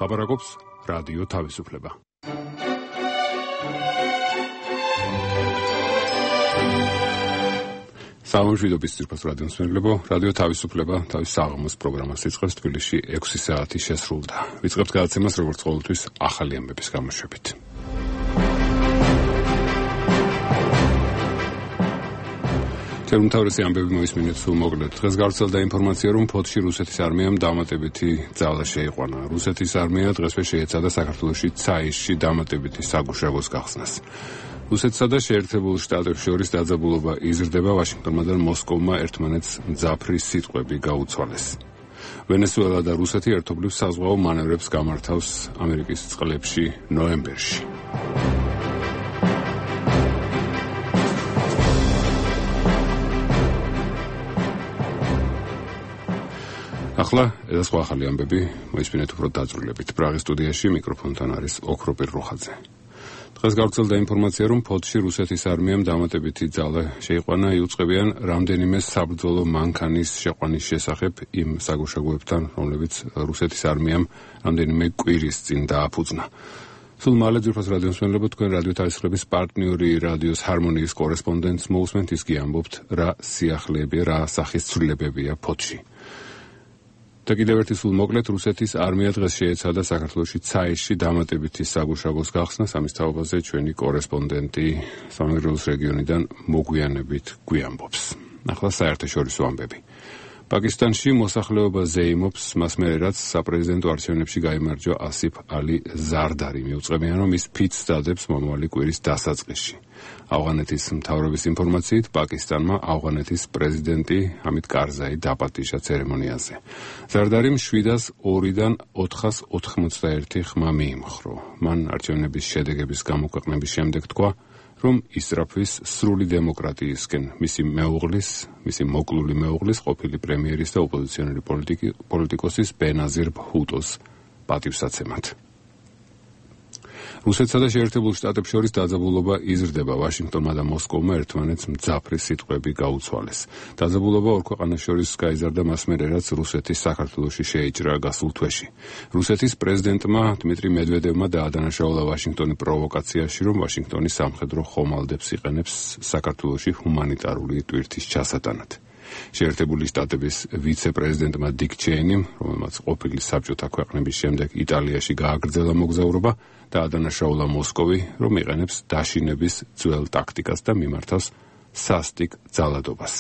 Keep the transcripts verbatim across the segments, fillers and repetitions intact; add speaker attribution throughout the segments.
Speaker 1: ლაპარაკობს რადიო თავისუფლება. სამშვიდობის ძირფას რადიო მსმენელებო, რადიო თავისუფლება თავის საღამოს პროგრამას იწყებს თბილისში ექვსი საათი შესრულდა. ვიწყებთ გადაცემას როგორც ყოველთვის ახალი ამბების გამოშვებით. ჩემ თავისი ამბები მოისმინეთ სულ მოკლედ. დღეს გავრცელდა ინფორმაცია, რომ ფოთში რუსეთის არმიამ დამატებითი ძალა შეიყვანა. რუსეთის არმია დღესვე შეეცადა საქართველოში ცაისში დამატებითი საგუშაგოს გახსნას. რუსეთსა და შეერთებულ შტატებს შორის დაძაბულობა იზრდება, ვაშინგტონმა და მოსკოვმა ერთმანეთს მძაფრი სიტყვები გაუცვალეს. ვენესუელა და რუსეთი ერთობლივ საზღვაო მანევრებს გამართავს ამერიკის წყლებში ნოემბერში. ახლა ეს სხვა ახალი ამბები მოისმინეთ უფრო დაწვრილებით. პრაღის სტუდიაში მიკროფონთან არის ოქროპირ რუხაძე. დღეს გავრცელდა ინფორმაცია, რომ ფოთში რუსეთის არმიამ დამატებითი ძალა შეიყვანა. იუწყებიან რამდენიმე საბრძოლო მანქანის შეყვანის შესახებ იმ საგუშაგოებთან, რომლებიც რუსეთის არმიამ რამდენიმე კვირის წინ დააფუძნა. სულ მალე ძირფას რადიო მსმენელებო, თქვენ რადიო თავისუფლების პარტნიორი რადიოს ჰარმონიის კორესპონდენტს მოусმენთ, ის კი ამბობთ, რა სიახლეებია, რა სახის ცვლილებებია ფოთში. და კიდევ ერთი სულ მოკლედ, რუსეთის არმია დღეს შეეცადა საქართველოში ცაისში დამატებითი საგუშაგოს გახსნას. ამის თაობაზე ჩვენი კორესპონდენტი სამეგრელოს რეგიონიდან მოგვიანებით გვიამბობს. ახლა საერთაშორისო ამბები. პაკისტანში მოსახლეობა ზეიმობს, მას მერე რაც საპრეზიდენტო არჩევნებში გაიმარჯვა ასიფ ალი ზარდარი. მიუწყებიან, რომ ის ფიცს დადებს მომავალი კვირის დასაწყისში. ავღანეთის მთავრობის ინფორმაციით, პაკისტანმა ავღანეთის პრეზიდენტი ჰამიდ კარზაი დაპატიჟა ცერემონიაზე. ზარდარიმ შვიდას ორიდან ოთხას ოთხმოცდაერთი ხმა მიიმხრო. მან არჩევნების შედეგების გამოქვეყნების შემდეგ თქვა, რომ ისწრაფვის სრული დემოკრატიისკენ მისი მეუღლის, მისი მოკლული მეუღლის, ყოფილი პრემიერის და ოპოზიციონერი პოლიტიკოსის ბენაზირ ბჰუტოს პატივსაცემად. რუსეთსა და შეერთებულ შტატებს შორის დაძაბულობა იზრდება. ვაშინგტონმა და მოსკოვმა ერთმანეთს მძაფრი სიტყვები გაუცვალეს. დაძაბულობა ორ ქვეყანას შორის გაიზარდა მას მერე, რაც რუსეთი საქართველოში შეიჭრა გასულ თვეში. რუსეთის პრეზიდენტმა დმიტრი მედვედევმა დაადანაშაულა ვაშინგტონი პროვოკაციაში, რომ ვაშინგტონი სამხედრო ხომალდებს იყენებს საქართველოში ჰუმანიტარული ტვირთის ჩასატანად. შეერთებული შტატების ვიცე-პრეზიდენტმა დიკ ჩეინიმ, რომელმაც ყოფილი საბჭოთა ქვეყნების შემდეგ იტალიაში გააგრძელა მოგზაურობა, დაადანაშაულა მოსკოვი, რომ იყენებს დაშინების ძველ ტაქტიკას და მიმართავს სასტიკ ძალადობას.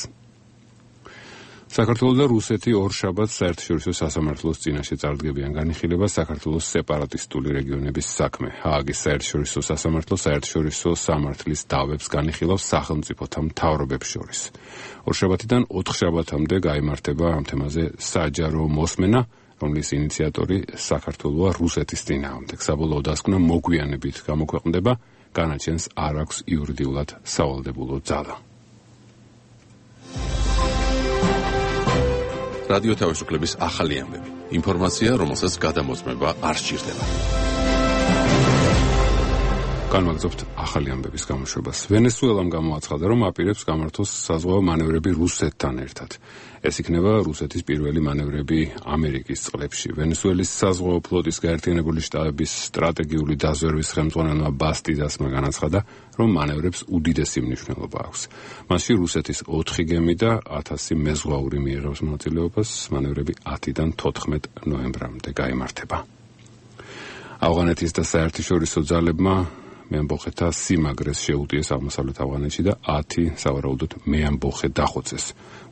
Speaker 1: საქართველო და რუსეთი ორშაბათს საერთაშორისო სასამართლოს წინაშე წარდგებიან. განიხილება საქართველოს სეპარატისტული რეგიონების საქმე. ჰააგის საერთაშორისო სასამართლო საერთაშორისო სამართლის დავებს განიხილავს სახელმწიფოთა მთავრობებს შორის. ორშაბათიდან ოთხშაბათამდე გაიმართება ამ თემაზე საჯარო მოსმენა, რომლის ინიციატორი საქართველოა რუსეთის წინააღმდეგ. საბოლოო დასკვნა მოგვიანებით გამოქვეყნდება, განაჩენს არ აქვს იურიდიულად სავალდებულო ძალა.
Speaker 2: რადიო თავისუფლების ახალი ამბები. ინფორმაცია, რომელსაც გადამოწმება არ სჭირდება.
Speaker 1: განვაგრძობთ ახალი ამბების გამოშვებას. ვენესუელამ გამოაცხადა, რომ აპირებს გამართოს საზღვაო მანევრები რუსეთთან ერთად. ეს იქნება რუსეთის პირველი მანევრები ამერიკის წყლებში. ვენესუელის საზღვაო ფლოტის გაერთიანებული შტატების სტრატეგიული დაზვერვის ხელმძღვანელმა ბასტიდასმა განაცხადა, რომ მანევრებს უდიდესი მნიშვნელობა აქვს. მასში რუსეთის ოთხი გემი და ათასი მეზღვაური მიიღებს მონაწილეობას. მანევრები ათიდან თოთხმეტ ნოემბრამდე გაიმართება. ავღანეთის და საერთაშორისო ძალებმა მეამბოხეთა სიმაგრეს შეუტიეს აღმოსავლეთ ავღანეთში და ათი სავარაუდოდ მეამბოხე დახოცეს.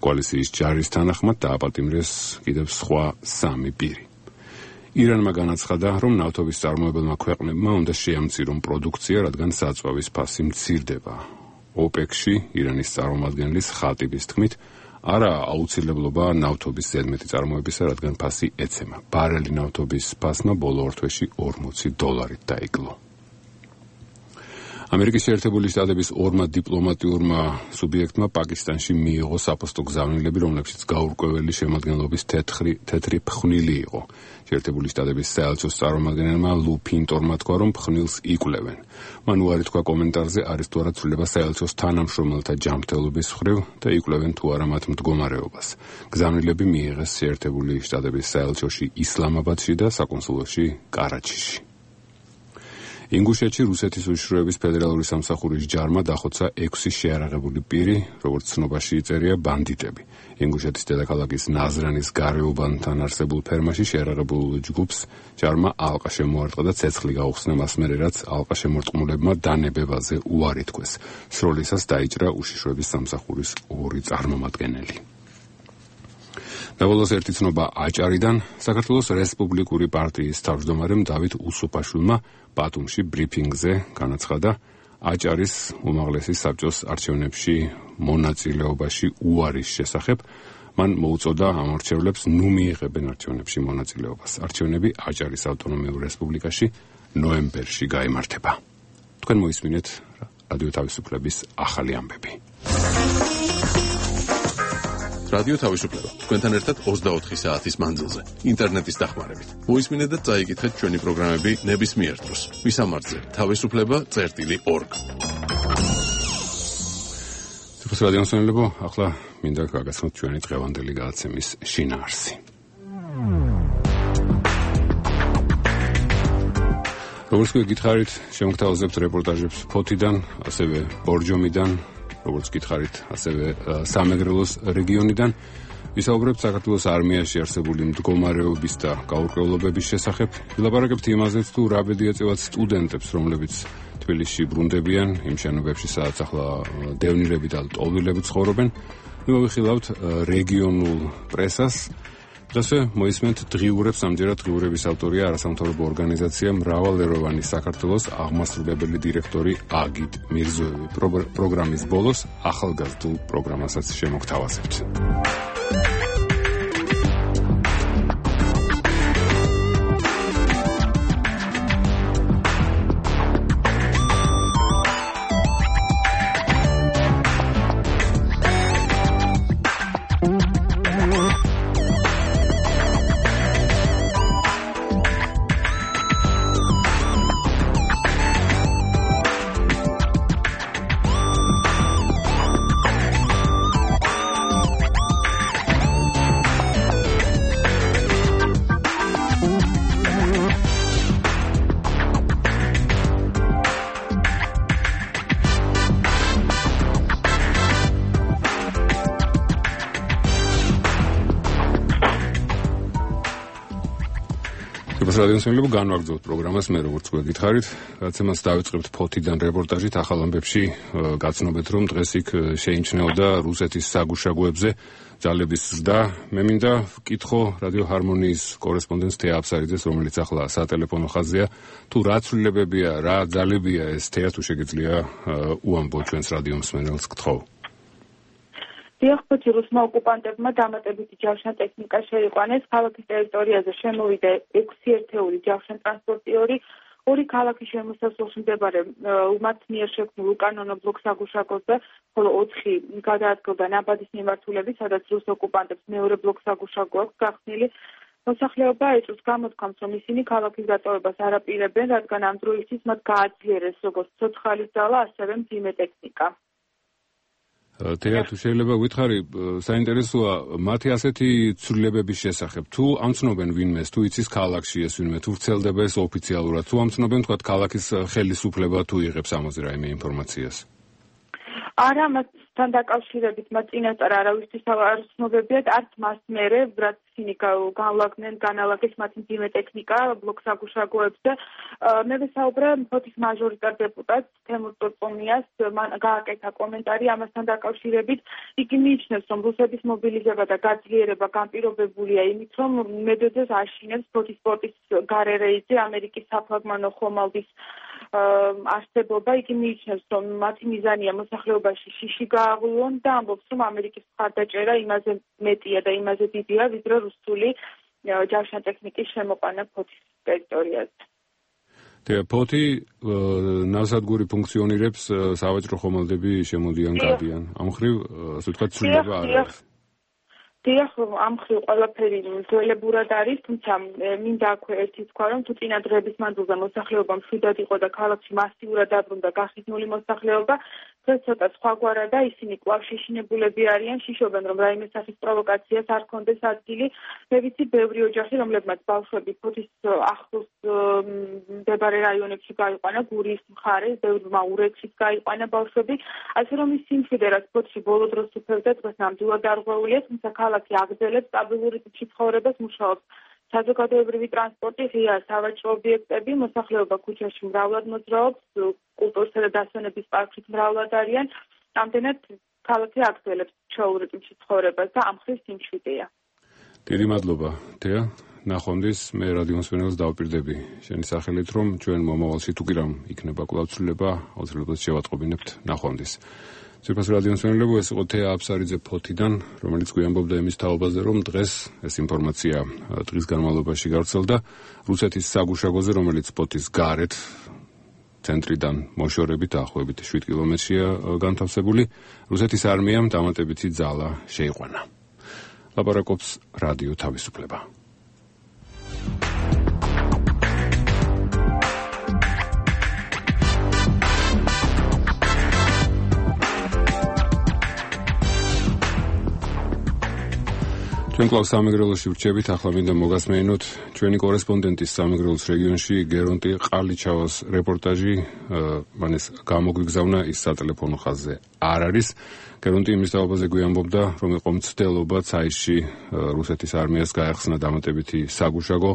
Speaker 1: კოალიციის ჯარის თანახმად დააპატიმრეს კიდევ სხვა სამი პირი. ირანმა განაცხადა, რომ ნავთობის წარმოებელმა ქვეყნებმა უნდა შეამცირონ პროდუქცია, რადგან საწვავის ფასი მცირდება. ოპეკში ირანის წარმომადგენლის ხატიბის თქმით, არა აუცილებლობა ნავთობის ზედმეტი წარმოებისა, რადგან ფასი ეცემა. ბარელი ნავთობის ფასმა ბოლო ორ თვეში ორმოცი დოლარით დაიკლო. ამერიკის შეერთებული შტატების ორმა დიპლომატიურმა სუბიექტმა პაკისტანში მიიღო საფოსტო გზავნილები, რომლებშიც გაურკვეველი შემადგენლობის თეთრი თეთრი ფხვნილი იყო. შეერთებული შტატების საელჩოს წარმომადგენელმა ლუ ფინტორმა თქვა, რომ ფხვნილს იკვლევენ. მან უარი თქვა კომენტარზე, არის თუ არა ცვლილება საელჩოს თანამშრომელთა ჯანმრთელობის მხრივ და იკვლევენ თუ არა მათ მდგომარეობას. გზავნილები მიიღეს შეერთებული შტატების საელჩოში ისლამაბადში და საკონსულოში კარაჩიში. ინგუშეთში რუსეთის უშიშროების ფედერალური სამსახურის ჯარმა დახოცა ექვსი შეარაღებული პირი, როგორც ცნობაში იწერია, ბანდიტები. ინგუშეთის დედაქალაქის ნაზრანის გარეუბანთან არსებულ ფერმაში შეარაღებულ ჯგუფს ჯარმა ალყა შემოარტყა და ცეცხლი გაუხსნა მას მერე, რაც ალყა შემორტყმულებმა დანებებაზე უარი თქვეს. სროლისას დაიჭრა უშიშროების სამსახურის ორი წარმომადგენელი. დაბოლოს ერთი ცნობა აჭარიდან. საქართველოს რესპუბლიკური პარტიის თავმჯდომარემ დავით უსუფაშვილმა ბათუმში ბრიფინგზე განაცხადა აჭარის უმაღლესი საბჭოს არჩევნებში მონაწილეობაში უარის შესახებ. მან მოუწოდა ამორჩევლებს ნუ მიიღებენ არჩევნებში მონაწილეობას. არჩევნები აჭარის ავტონომიურ რესპუბლიკაში ნოემბერში გაიმართება. თქვენ მოისმინეთ რადიო თავისუფლების ახალი ამბები.
Speaker 2: რადიო თავისუფლება თქვენთან ერთად ოცდაოთხი საათის მანძილზე ინტერნეტის დახმარებით. მოისმინეთ და წაიკითხეთ ჩვენი პროგრამები ნებისმიერ დროს. ვისამართზე თავისუფლება წერტილი ორგ.
Speaker 1: ციფროს რადიო მსმენელებო, ახლა მინდა გაგაცნოთ ჩვენი დღევანდელი გადაცემის შინაარსი. როგორც გითხარით, შემოგთავაზებთ რეპორტაჟებს ფოთიდან, ასევე ბორჯომიდან, როგორც გითხარით, ასევე სამეგრელოს რეგიონიდან. ვისაუბრებთ საქართველოს არმიაში არსებული მდგომარეობის და გაურკვევლობების შესახებ. ვილაპარაკებთ იმაზეც, თუ რა ბედი ეწევათ სტუდენტებს, რომლებიც თბილისში ბრუნდებიან, იმ შენობებში, სადაც ახლა დევნილები და ლტოლვილები ცხოვრობენ. მივიხილავთ რეგიონულ პრესას. ასე მოისმენთ დღიურებს, ამჯერად დღიურების ავტორია არასამთავრობო ორგანიზაცია მრავალეროვანი საქართველოს აღმასრულებელი დირექტორი აგიტ მირზოევი. პროგრამის ბოლოს ახალგაზრდულ პროგრამასაც შემოგთავაზებთ. რადიო მსმენელებო, განვაგრძობთ პროგრამას. მე როგორც გვეკითხარით, რაცემაც დავიწყებთ ფოთიდან რეპორტაჟით ახალ ამბებში გაცნობეთ, რომ დღეს იქ შეიმჩნეოდა რუსეთის საგუშაგოებზე ძალების ზრდა. მე მინდა ვკითხო რადიო ჰარმონიის კორესპონდენტს თეა აფსარიძეს, რომელიც ახლა სატელეფონო ხაზია, თუ რა ცვლილებებია, რა ძალებია ეს. თეა, თუ შეგიძლია უამბო ჩვენს რადიო მსმენელს, გთხოვ.
Speaker 3: დიახბოთი რუსმა ოკუპანტებმა დამატებითი ჯავშან-ტექნიკა შეიყვანეს. ქალაქის ტერიტორიაზე შემოვიდა ექვსი ერთეული ჯავშან-ტრანსპორტიორი, ორი ქალაქის შემოსასვლელში მდებარე მათ მიერ შექმნილ უკანონო ბლოკს აგუშაგოზე, ხოლო ოთხი გადაადგილდა ნაბადის მიმართულებით, სადაც რუს ოკუპანტებს მეორე ბლოკს აგუშაგო აქვს გახსნილი. მოსახლეობა ეჭვს გამოთქვამს, რომ ისინი ქალაქის დატოვებას არ აპირებენ, რადგან ამ დროისთვის მათ გააძლიერეს როგორც ცოცხალის ძალა, ასევე მძიმე ტექნიკა.
Speaker 1: თეა, თუ შეიძლება გითხარი, საინტერესოა მათი ასეთი ცვლილებების შესახებ. თუ ამცნობენ ვინმეს, თუ იცის ქალაქში ეს ვინმე, თუ ვრცელდება ეს ოფიციალურად, თუ ამცნობენ თქვა ქალაქის ხელისუფლება, თუ იღებს ამაზე რაიმე ინფორმაციას.
Speaker 3: არა, მასთან დაკავშირებით მათ წინასწარ არავისთვის არ ცნობებიათ, არც მას მერე, რაც ისინი განლაგდნენ, განალაგეს მათი მძიმე ტექნიკა ბლოკს აგუშაგოებზე. მე ვისაუბრე ფოთის მაჟორიტარ დეპუტატს თემურ წორწომიას, მან გააკეთა კომენტარი ამასთან დაკავშირებით. იგი მიიჩნევს, რომ რუსების მობილიზება და გაძლიერება განპირობებულია იმით, რომ მედვედევს აშინებს ფოთის სპორტის გარე რეიდზე ამერიკის საფლაგმანო ხომალდის არსებობა. იგი მიიჩნევს, რომ მათი მიზანია მოსახლეობაში შიში გააღვიონ და ამბობს, რომ ამერიკის მხარდაჭერა იმაზე მეტია და იმაზე დიდია, ვიდრე რუსული ჯავშან-ტექნიკის შემოყვანა ფოთის ტერიტორიაზე.
Speaker 1: ფოთი ნავსადგური ფუნქციონირებს სავაჭრო ხომალდები შემოდიან გადიან. ამ მხრივ ასე ვთქვათ ცვლილება არ არის.
Speaker 3: დიახ, ამ მხრივ ყველაფერი ძველებურად არის, თუმცა მინდა აქვე ერთი თქვა, რომ თუ წინა დღეების მანძილზე მოსახლეობა მშვიდად იყო და ქალაქში მასიურად დაბრუნდა გახიზნული მოსახლეობა, დღეს ცოტა სხვაგვარა და ისინი კვლავ შეშინებულები არიან, შიშობენ, რომ რაიმე სახის პროვოკაციას არ ქონდეს ადგილი. მე ვიცი, ბევრი ოჯახი, რომლებმაც ბავშვები ფოთის ახლოს მდებარე რაიონებში გაიყვანა, გურიის მხარეს, ბევრმა ურეთშიც გაიყვანა ბავშვები, ასე რომ ის სიმშვიდე, რაც ფოთში ბოლო დროს უფევდა, დღეს ნამდვილად არღვეულია, თუმცა ქალაქი აგრძელებს სტაბილური ტიპში ცხოვრებას, მუშაობს საზოგადოებრივი ტრანსპორტი, ღია სავაჭრო ობიექტები, მოსახლეობა ქუჩაში მრავლად მოძრაობს, კულტურისა და დასვენების პარკში მრავლად არიან. ამდენად ქალაქი აგრძელებს ჩვეულებრივ ტიპში ცხოვრებას და ამ მხრივ სიმშვიდეა.
Speaker 1: დიდი მადლობა, თეა. ნახვამდის მე რადიო მსმენელს დავპირდები შენი სახელით, რომ ჩვენ მომავალში თუ კი რამ იქნება კვლავ ცვლილება, აუცილებლად შევატყობინებთ. ნახვამდის. ძვირფას რადიო მსმენელებო, ეს იყო თეა აფსარიძე ფოთიდან, რომელიც გვიამბობდა იმის თაობაზე, რომ დღეს ეს ინფორმაცია დღის განმავლობაში გავრცელდა რუსეთის საგუშაგოზე, რომელიც ფოთის გარეთ ცენტრიდან მოშორებით დაახლოებით შვიდ კილომეტრშია განთავსებული. რუსეთის არმიამ დამატებითი ძალა შეიყვანა. ლაპარაკობს რადიო თავისუფლება. ჩვენ კვლავ სამეგრელოში ვრჩებით, ახლა მინდა მოგასმენინოთ ჩვენი კორესპონდენტის სამეგრელოს რეგიონში გერონტი ყალიჩავას რეპორტაჟი, მან ეს გამოგვიგზავნა, ის სატელეფონო ხაზზე არ არის. გერონტი იმის თაობაზე გვიამბობდა, რომ იყო მცდელობა ცაისში რუსეთის არმიას გაეხსნა დამატებითი საგუშაგო.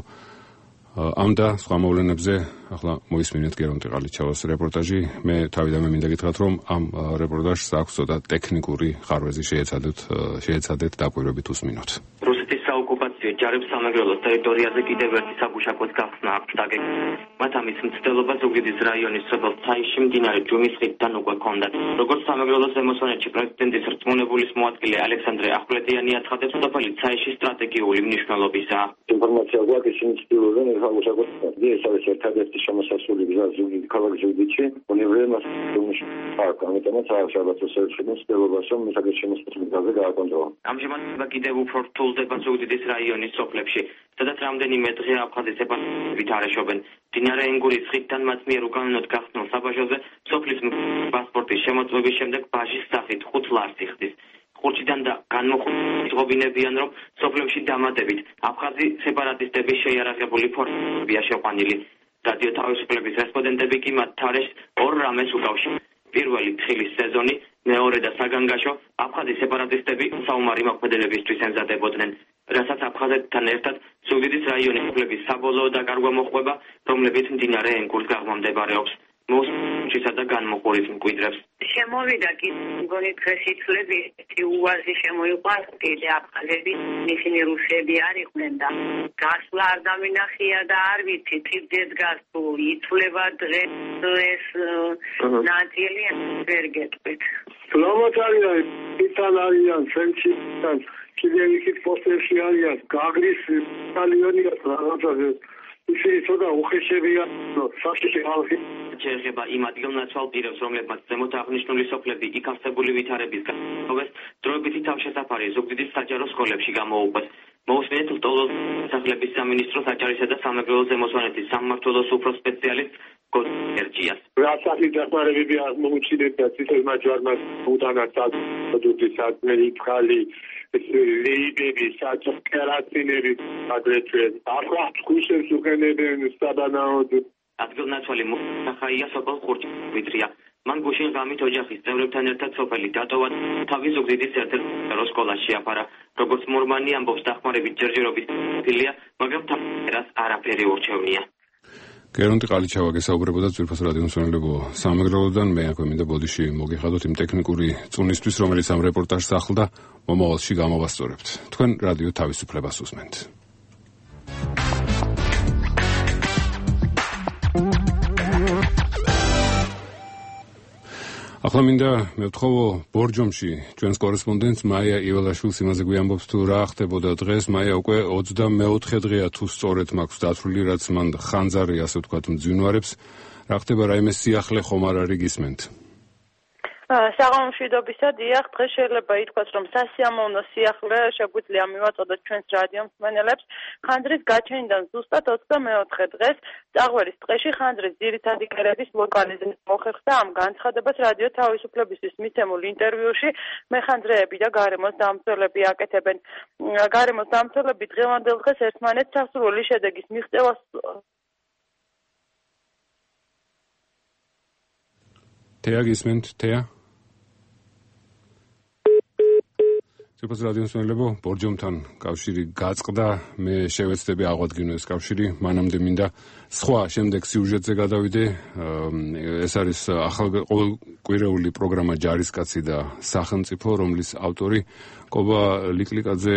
Speaker 1: ამ და სხვა მოვლენებზე ახლა მოისმინეთ გერონტი ყალიჩავას რეპორტაჟი. მე თავიდანვე მინდა გითხრათ, რომ ამ რეპორტაჟს აქვს ცოტა ტექნიკური ხარვეზი შეეცადეთ, შეეცადეთ დაკვირვებით უსმინოთ.
Speaker 4: რუსეთის საოკუპაციო ჯარებს სამეგრელოს ტერიტორიაზე კიდევ ერთი საგუშაგოს გახსნა აქვს დაგეგმილი. მათ ამის მცდელობა ზუგდიდის რაიონის სოფელ ცაისში მდინარე ჯუმის ხიდთან უკვე ჰქონდათ. როგორც სამეგრელოს ზემოსვანეთში პრეზიდენტის რწმუნებულის მოადგილე ალექსანდრე ახვლედიანი აცხადებს, სოფელი ცაისში სტრატეგიული მნიშვნელობისაა.
Speaker 5: ინფორმაცია გვაქვს, ისინი ცდილობენ საგუშაგოს გახსნა. ეს არის ერთადერთი შემოსასვლელი გზა ზუგდიდის ქალაქ ზუგდიდში. უნივერსიტეტის ჯუმის პარკ, ამიტომაც არის ალბათ შესაძლებელი ცდილობას, რომ საკუთარ შემოსასვლელი გზაზე გააკონტროლონ.
Speaker 4: ამჟამად კიდევ უფრო რთულდება ზუგდიდის რაიონის სოფლებში, სადაც რამდენიმე დღე აფხაზის ეპარქიით არეშობენ. მდინარე ენგურის ხიდთან მათ მიერ უკანონოდ გახსნილ საბაჟოზე სოფლის პასპორტის შემოწმების შემდეგ ბაჟის სახით ხუთ ლარს იხდის. ხურჯიდან და განმოხილვის ღობინებიან, რომ სოფლებში დამატებით აფხაზი სეპარატისტების შეიარაღებული ფორმებია შეყვანილი. რადიო თავისუფლების რესპონდენტები კი მათ თარეშს ორ რამეს უკავშირებენ. პირველი თხილის სეზონი, მეორე და საგანგაშო, აფხაზი სეპარატისტები საომარი მოქმედებებისთვის ემზადებოდნენ, რასაც აფხაზეთთან ერთად ზუგდიდის რაიონის სოფლების საბოლოო დაკარგვა მოჰყვება, რომლებიც მდინარე ენგურს გაღმამდმდებარეობს. მოსჩისა და განმოყურით მკვიდრებს.
Speaker 6: შემოვიდა კი მგონი დღეს იცვლები უაზი შემოიყვანს კიდე აფხაზები, ისინი რუსები არ იყვნენ და გასვლა არ დამინახია და არ ვიცი თირდეს გას თუ იცვლება დღეს ეს ნაწილი ვერ გეტყვით.
Speaker 5: სლავათ არიან, იტალ არიან, ფრენჩი არიან, კიდევ იქით პოსტერში არიან, გაგრის იტალიონია რაღაცაზე. ისინი ცოტა უხეშებია, საშიში ხალხი.
Speaker 4: შეეხება იმ ადგილნაცვალ პირებს, რომლებმაც ზემოთ აღნიშნული სოფლები იქ არსებული ვითარების განმავლობაში დროებითი თავშესაფარი ზუგდიდის საჯარო სკოლებში გამოუყვეს. მოусმინეთ ლტოლოს სახლების სამინისტროს აჭარისა და სამეგრელოს ზემოსვანეთის სამმართველოს უფროს სპეციალისტ გორჯიას.
Speaker 5: რასახი დახმარებები აღმოუჩინეთ და ციტელმა ჯარმა უდანაც produktis ატმელი ფხალი ლეიბები, საჭკერაცინები აგრეთვე ახლა ხუშებს უყენებენ საბანაოდ.
Speaker 4: ადგილნაცვალი მოსახაია სოფელ ხურჯვიტრია. მან გუშინ ღამით ოჯახის წევრებთან ერთად სოფელი დატოვა, თავი ზუგდიდის ერთ-ერთ სკოლაში შეაფარა. როგორც მორმანი ამბობს, დახმარებით ჯერჯერობით ფილია, მაგრამ თავს არაფერი ურჩევნია.
Speaker 1: გერონტი ყალიჩავა გესაუბრებოდა ძვირფას რადიო მსმენელებო სამეგრელოდან. მე აქვე მინდა ბოდიში მოგიხადოთ იმ ტექნიკური წუნისთვის, რომელიც ამ რეპორტაჟს ახლდა, მომავალში გამოვასწორებთ. თქვენ რადიო თავისუფლებას უსმენთ. ახლა მინდა მევთხოვო ბორჯომში ჩვენს კორესპონდენტს მაია იველაშვილს იმაზე გვიამბობს თუ რა ხდებოდა დღეს. მაია უკვე ოცდამეოთხე დღეა თუ სწორედ მაქვს დათვლილი, რაც მან ხანძარი ასე ვთქვათ მძვინვარებს. რა ხდება, რაიმე სიახლე ხომ არ არის გისმენთ?
Speaker 7: საღამომშვიდობისა, დიახ, დღეს შეიძლება ითქვას, რომ სასიამოვნო სიახლე შეგვიძლია მივაწოდოთ ჩვენს რადიო მსმენელებს. ხანძრის გაჩენიდან ზუსტად ოცდამეოთხე დღეს წაღვერის ტყეში ხანძრის ძირითადი კერების ლოკალიზება მოხერხდა. ამ განცხადებას რადიო თავისუფლებისთვის მიცემულ ინტერვიუში მეხანძრეები და გარემოს დამცველები აკეთებენ. გარემოს დამცველები დღევანდელ დღეს ერთმანეთს სასურველი შედეგის მიღწევას
Speaker 1: თეა გისმენთ, თეა? სიყვარული რადიო მსმენელებო, ბორჯომთან კავშირი გაწყდა, მე შევეცდები აღვადგინო ეს კავშირი, მანამდე მინდა სხვა შემდეგ სიუჟეტზე გადავიდე. ეს არის ყოველკვირეული პროგრამა ჯარისკაცი და სახელმწიფო, რომლის ავტორი კობა ლიკლიკაძე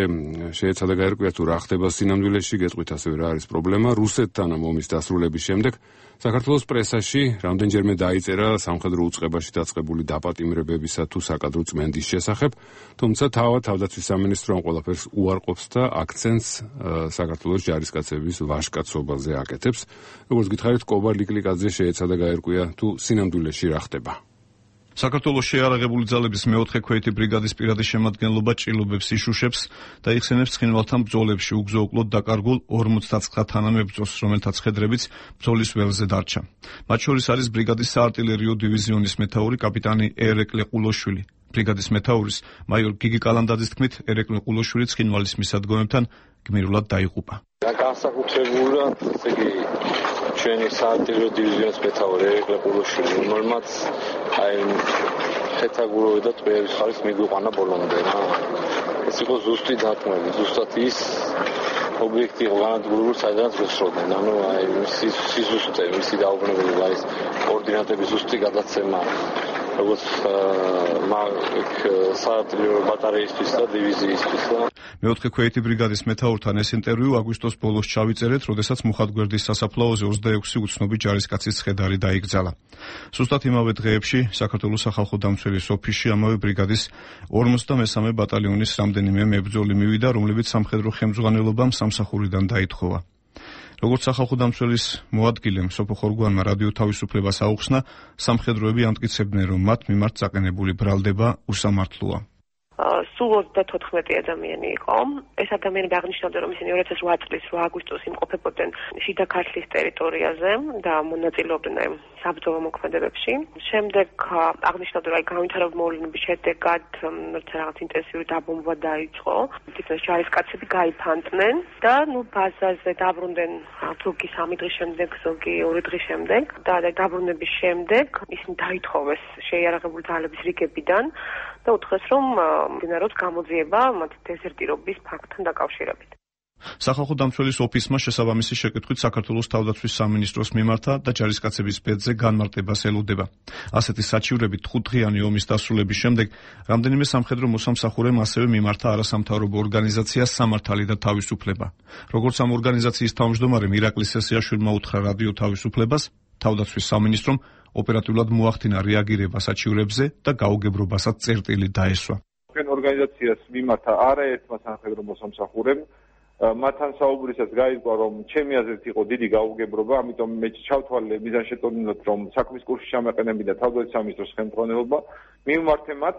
Speaker 1: შეეცადა გაერკვია თუ რა ხდება სინამდვილეში, გეტყვით ასევე რა არის პრობლემა. რუსეთთან ამ ომის დასრულების შემდეგ საქართველოს პრესაში რამდენჯერმე დაიწერა სამხედრო უწყებაში დაწყებული დაპატიმრებებისა თუ საკადრო წმენდის შესახებ, თუმცა თავად თავდაცვის სამინისტრო ამ ყველაფერს უარყოფს და აქცენტს საქართველოს ჯარისკაცების ვაჟკაცობაზე აკეთებს. როგორც გითხარით, კობა ლიკლიკაძე შეეცადა გაერკვია თუ სინამდვილეში რა ხდება.
Speaker 8: საქართველოს შეიარაღებული ძალების მეოთხე ქვეითი ბრიგადის პირადი შემადგენლობა ჭრილობებს იშუშებს და იხსენებს ცხინვალთან ბრძოლებში უგზო-უკლოდ დაკარგულ ორმოცდათსხმ თანამებრძოლს, რომელთაც ხედრებიც ბრძოლის ველზე დარჩა. მათ შორის არის ბრიგადის საარტილერიო დივიზიონის მეთაური კაპიტანი ერეკლე ყულოშვილი. ბრიგადის მეთაურის მაიორ გიგი კალანდაძის თქმით, ერეკლე ყულოშვილი ცხინვალის მისადგომებთან გმირულად დაიღუპა.
Speaker 9: განსაკუთრებულად, ესე იგი, ჩვენი საარტილერიო დივიზიონის მეთაური ერეკლე ყულოშვილი, რომელმაც აი ხეთაგუროვი და ტყეების ხარის მიგვიყვანა ბოლომდე რა. ეს იყო ზუსტი დათმები, ზუსტად ის ობიექტი იყო განადგურებული, საიდანაც გესროდნენ. ანუ აი მისი სიზუსტე, მისი დაუბრუნებლობა, ის კოორდინატების ზუსტი გადაცემა, როგორც საარტილერიო ბატარეისთვის და დივიზიისთვის.
Speaker 8: მეოთხე ქვეითი ბრიგადის მეთაურთან ეს ინტერვიუ აგვისტოს ბოლოს ჩავიწერეთ, როდესაც მუხათგვერდის სასაფლაოზე ოცდაექვსი უცნობი ჯარისკაცის ცხედარი დაიკრძალა. სუსტად იმავე დღეებში საქართველოს სახალხო დამცველის ოფისში ამავე ბრიგადის ორმოცდამესამე ბატალიონის რამდენიმე მებრძოლი მივიდა, რომლებიც სამხედრო ხელმძღვანელობამ სამსახურიდან დაითხოვა. როგორც სახალხო დამცველის მოადგილემ სოფო ხორგვანმა რადიო თავისუფლებას აუხსნა, სამხედროები ამტკიცებდნენ, რომ მათ მიმართ წაყენებული ბრალდება უსამართლოა.
Speaker 10: სულ ოცდათოთხმეტი ადამიანი იყო. ეს ადამიანები აღნიშნავდნენ, რომ ისინი ორი ათას ოთხ წლის რვა აგვისტოს იმყოფებოდნენ შიდა ქართლის ტერიტორიაზე და მონაწილეობდნენ საბრძოლო მოქმედებებში. შემდეგ აღნიშნავდნენ, რომ განვითარებული მოვლენების შედეგად რაღაც ინტენსიური დაბომბვა დაიწყო. თითქოს ჯარისკაცები გაიფანტნენ და ნუ ბაზაზე დაბრუნდნენ ზოგი სამი დღის შემდეგ, ზოგი ორი დღის შემდეგ და დაბრუნების შემდეგ ისინი დაითხოვეს შეიარაღებული ძალების რიგებიდან და უთხრეს, რომ მდინაროს გამოძიება მათ დეზერტირობის ფაქტთან დაკავშირებით.
Speaker 8: სახალხო დამცველის ოფისმა შესაბამისი შეკითხვით საქართველოს თავდაცვის სამინისტროს მიმართა და ჯარისკაცების ბედზე განმარტებას ელოდება. ასეთი საჩივრებით ხუთდღიანი ომის დასრულების შემდეგ რამდენიმე სამხედრო მოსამსახურემ ასევე მიმართა არასამთავრობო ორგანიზაციას სამართალი და თავისუფლება. როგორც ამ ორგანიზაციის თავმჯდომარემ ირაკლი სესიაშვილმა უთხრა რადიო თავისუფლებას, თავდაცვის სამინისტრომ ოპერატიულად მოახდინა რეაგირება საჩივრებზე და გაუგებრობასაც წერტილი დაესვა.
Speaker 11: ჩვენ ორგანიზაციას მიმართა არაერთმა სამხედრო მოსამსახურემ მათთან საუბრისას გაირკვა, რომ ჩემი აზრით იყო დიდი გაუგებრობა, ამიტომ მე ჩავთვალე მიზანშეტყობინებად, რომ საქმის კურსში ჩამეყენებინა თავდაცვის სამინისტროს ხელმძღვანელობა. მივმართე მათ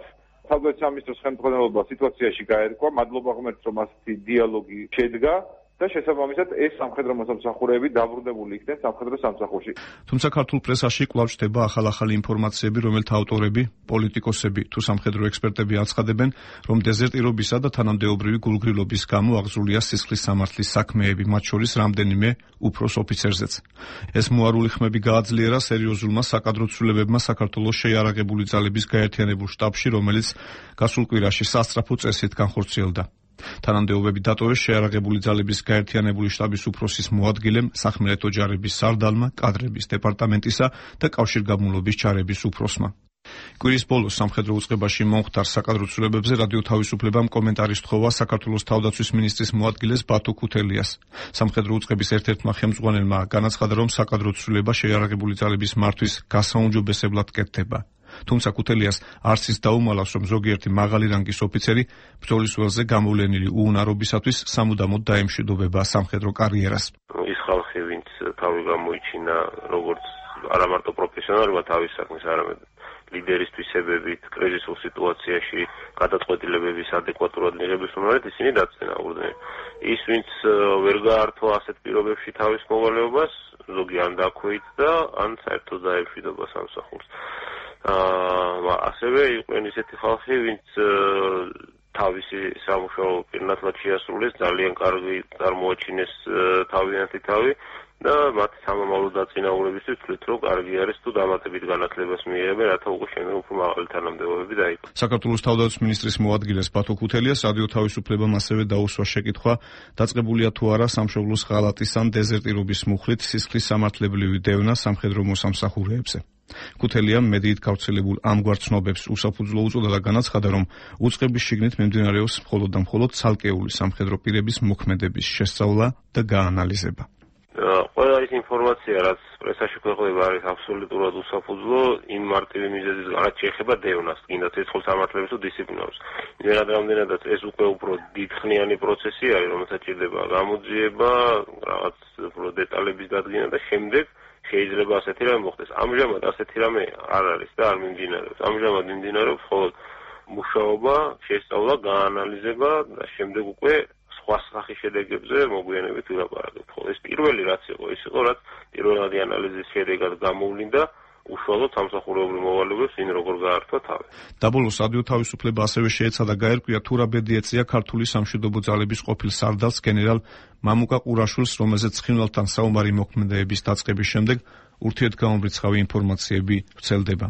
Speaker 11: თავდაცვის სამინისტროს ხელმძღვანელობა სიტუაციაში გაერკვა, მადლობა ღმერთს, რომ ასეთი დიალოგი შედგა. და შესაბამისად ეს სამხედრო მოსამსახურეები დაბრუნებული იქნენ სამხედრო სამსახურში.
Speaker 8: თუმცა ქართულ პრესაში კვლავ ჩდება ახალ-ახალი ინფორმაციები, რომელთა ავტორები, პოლიტიკოსები თუ სამხედრო ექსპერტები აცხადებენ, რომ დეზერტირობისა და თანამდებობრივი გულგრილობის გამო აღზრულია სისხლის სამართლის საქმეები, მათ შორის რამდენიმე უფროს ოფიცერზეც. ეს მოარული ხმები გააძლიერა სერიოზულმა საკადრო ცვლილებებმა საქართველოს შეიარაღებული ძალების გაერთიანებულ შტაბში, რომელიც გასულ კვირაში სასწრაფო წესით განხორციელდა. თანამდებობები დატოვეს შეიარაღებული ძალების გაერთიანებული შტაბის უფროსის მოადგილემ, სახმელეთო ჯარების სარდალმა, კადრების დეპარტამენტისა და კავშირგაბმულობის ჯარების უფროსმა. კვირის ბოლოს სამხედრო უწყებაში მომხდარ საკადრო ცვლილებებზე რადიო თავისუფლებამ კომენტარის თხოვა საქართველოს თავდაცვის მინისტრის მოადგილეს ბათო ქუთელიას. სამხედრო უწყების ერთ-ერთმა ხელმძღვანელმა განაცხადა, რომ საკადრო ცვლილება შეიარაღებული ძალების მართვის გასაუმჯობესებლად კეთდება. თუმცა ქუთელიას არც ის დაუმალავს, რომ ზოგიერთი მაღალი რანგის ოფიცერი ბრძოლის ველზე გამოვლენილი უუნარობისათვის სამუდამოდ დაემშვიდობება სამხედრო კარიერას.
Speaker 12: ის ხალხი, ვინც თავი გამოიჩინა როგორც არა მარტო პროფესიონალურად თავის საქმის, არამედ ლიდერის თვისებებით, კრიზისულ სიტუაციაში გადაწყვეტილებების ადეკვატურად მიღების უნარით ისინი დაწინაურდნენ. ის, ვინც ვერ გაართვა ასეთ პირობებში თავის მოვალეობას, ზოგი ან დაქვეითდა, ან საერთოდ დაემშვიდობა სამსახურს. აა ასევე იყვნენ ისეთი ხალხი, ვინც თავისი სამუშაო პირნათლად შეასრულეს, ძალიან კარგი წარმოაჩინეს თავიანთი თავი და მათი სამომავლო დაწინაურებისთვის თვლით, რომ კარგი არის თუ დამატებით განათლებას მიიღებენ, რათა უკვე შემდეგ უფრო მაღალი თანამდებობები დაიწყოს.
Speaker 8: საქართველოს თავდაცვის მინისტრის მოადგილეს ბათო ქუთელიას რადიო თავისუფლებამ ასევე დაუსვა შეკითხვა, დაწყებულია თუ არა სამშობლოს ღალატის ან დეზერტირობის მუხლით სისხლის სამართლებრივი დევნა სამხედრო მოსამსახურეებზე. ქუთელიამ მედიით გავრცელებულ ამგვარ ცნობებს უსაფუძვლო უწოდა და განაცხადა, რომ უწყების შიგნით მიმდინარეობს მხოლოდ და მხოლოდ ცალკეული სამხედრო პირების მოქმედების შესწავლა და გაანალიზება.
Speaker 12: ყველა ის ინფორმაცია, რაც პრესაში ქვეყნდება, არის აბსოლუტურად უსაფუძვლო იმ მარტივი მიზეზის რაც შეეხება დევნას, კიდაც ცეცხლ სამართლებს თუ დისციპლინარს. იმერად რამდენადაც ეს უკვე უფრო დიდხნიანი პროცესი არის, რომელსაც ჭირდება გამოძიება, რაღაც უფრო დეტალების დადგენა და შემდეგ შეიძლება ასეთი რამე მოხდეს. ამჟამად ასეთი რამე არ არის და არ მიმდინარეობს. ამჟამად მიმდინარეობს მხოლოდ მუშაობა, შესწავლა, გაანალიზება და შემდეგ უკვე სხვა სახის შედეგებზე მოგვიანებით ვილაპარაკებთ. ხო, ეს პირველი რაც იყო, ის იყო, რაც პირველადი ანალიზის შედეგად გამოვლინდა უშუალოდ სამსახურეობრივ მოვალეობებს ვინ როგორ გაართვა თავი.
Speaker 8: დაბოლოს რადიო თავისუფლება ასევე შეეცადა გაერკვია თუ რა ბედი ეწია ქართული სამშვიდობო ძალების ყოფილ სარდალს გენერალ მამუკა ყურაშვილს, რომელზეც ცხინვალთან საომარი მოქმედებების დაწყების შემდეგ ურთიერთგამომრიცხავი ინფორმაციები ვრცელდება.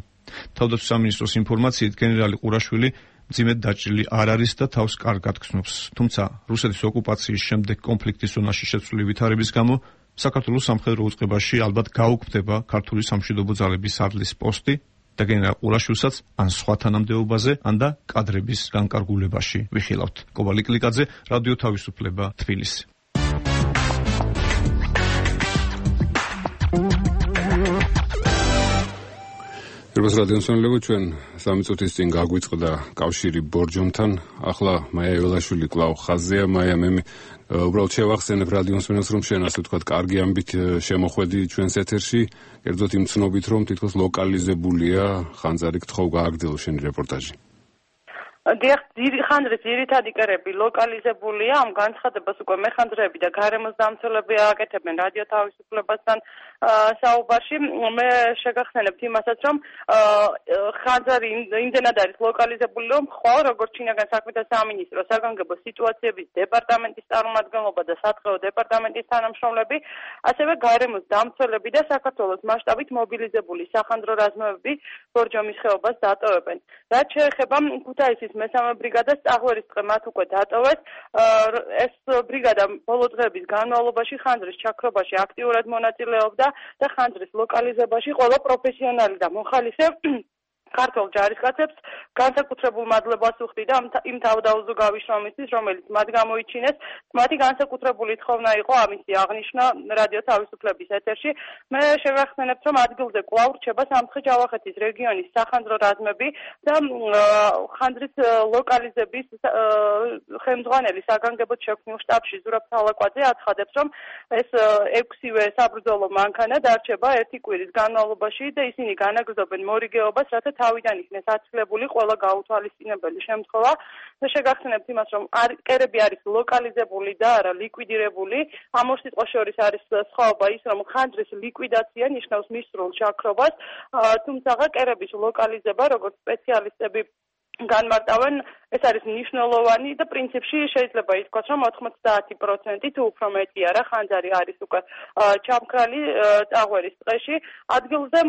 Speaker 8: თავდაცვის სამინისტროს ინფორმაციით გენერალი ყურაშვილი მძიმედ დაჭრილი არ არის და თავს კარგად გრძნობს. თუმცა რუსეთის ოკუპაციის შემდეგ კონფლიქტის ზონაში შეცვლილი ვითარების გამო საქართველოს სამხედრო უწყებაში ალბათ გაუქმდება ქართული სამშვიდობო ძალების სარდლის პოსტი და გენერალ ყურაშვილსაც ან სხვა თანამდებობაზე, ან და კადრების განკარგულებაში ვიხილავთ. კობალი კლიკაძე, რადიო თავისუფლება, თბილისი.
Speaker 1: ერბას რადიოსანლებო, ჩვენ სამი წუთის წინ გაგვიწყდა კავშირი ბორჯომთან. ახლა მაია ველაშვილი კვლავ ხაზია. მაია, მე უბრალოდ შევახსენებ რადიოსანებს, რომ შენ ასე ვთქვათ, კარგი ამბით შემოხვედი ჩვენს ეთერში, კერძოდ იმ ცნობით, რომ თითქოს ლოკალიზებულია ხანძარი, გთხოვ გააგრძელო შენი რეპორტაჟი.
Speaker 7: დიახ, ხანდრის ძირითადი კერები ლოკალიზებულია, ამ განცხადებას უკვე მეხანძრეები და გარემოს დამცველები აკეთებენ რადიო თავისუფლებასთან საუბარში. მე შეგახსენებთ იმასაც, რომ ხანძარი იმდენად არის ლოკალიზებული, რომ ხვალ როგორც შინაგან საქმეთა სამინისტრო, საგანგებო სიტუაციების დეპარტამენტის წარმომადგენლობა და სათხეო დეპარტამენტის თანამშრომლები, ასევე გარემოს დამცველები და საქართველოს მასშტაბით მობილიზებული სახანძრო რაზმები ბორჯომის ხეობას დატოვებენ. რაც შეეხება ქუთაისის მესამე ბრიგადას, წაღვერის დღე მათ უკვე დატოვეს. ეს ბრიგადა ბოლო დღეების განმავლობაში ხანძრის ჩაქრობაში აქტიურად მონაწილეობდა და ხანძრის ლოკალიზებაში ყველა პროფესიონალი და მოხალისე ქართულ ჯარისკაცებს განსაკუთრებულ მადლობას უხდი და იმ თავდაუზოგავი შრომისთვის, რომელიც მათ გამოიჩინეს. მათი განსაკუთრებული თხოვნა იყო ამისი აღნიშვნა რადიო თავისუფლების ეთერში. მე შევახსენებთ, რომ ადგილზე კვლავ რჩება სამცხე-ჯავახეთის რეგიონის სახანძრო რაზმები და ხანძრის ლოკალიზების ხელმძღვანელი საგანგებოდ შექმნილ შტაბში ზურაბ თალაკვაძე აცხადებს, რომ ეს ექვსივე საბრძოლო მანქანა დარჩება ერთი კვირის განმავლობაში და ისინი განაგრძობენ მორიგეობას, რათა თავიდან იქნეს აცილებული ყველა გაუთვალისწინებელი შემთხვევა. და შეგახსენებთ იმას, რომ კერები არის ლოკალიზებული და არა ლიკვიდირებული. ამ ორ სიტყვას შორის არის სხვაობა ის, რომ ხანძრის ლიკვიდაცია ნიშნავს მისრულ ჩაქრობას, თუმცა კერების ლოკალიზება, როგორც სპეციალისტები განმარტავენ, ეს არის მნიშვნელოვანი და პრინციპში შეიძლება ითქვას, რომ ოთხმოცდაათი პროცენტი თუ უფრო მეტი არა ხანძარი არის უკვე ჩამქრალი წაღვერის დღეში. ადგილზე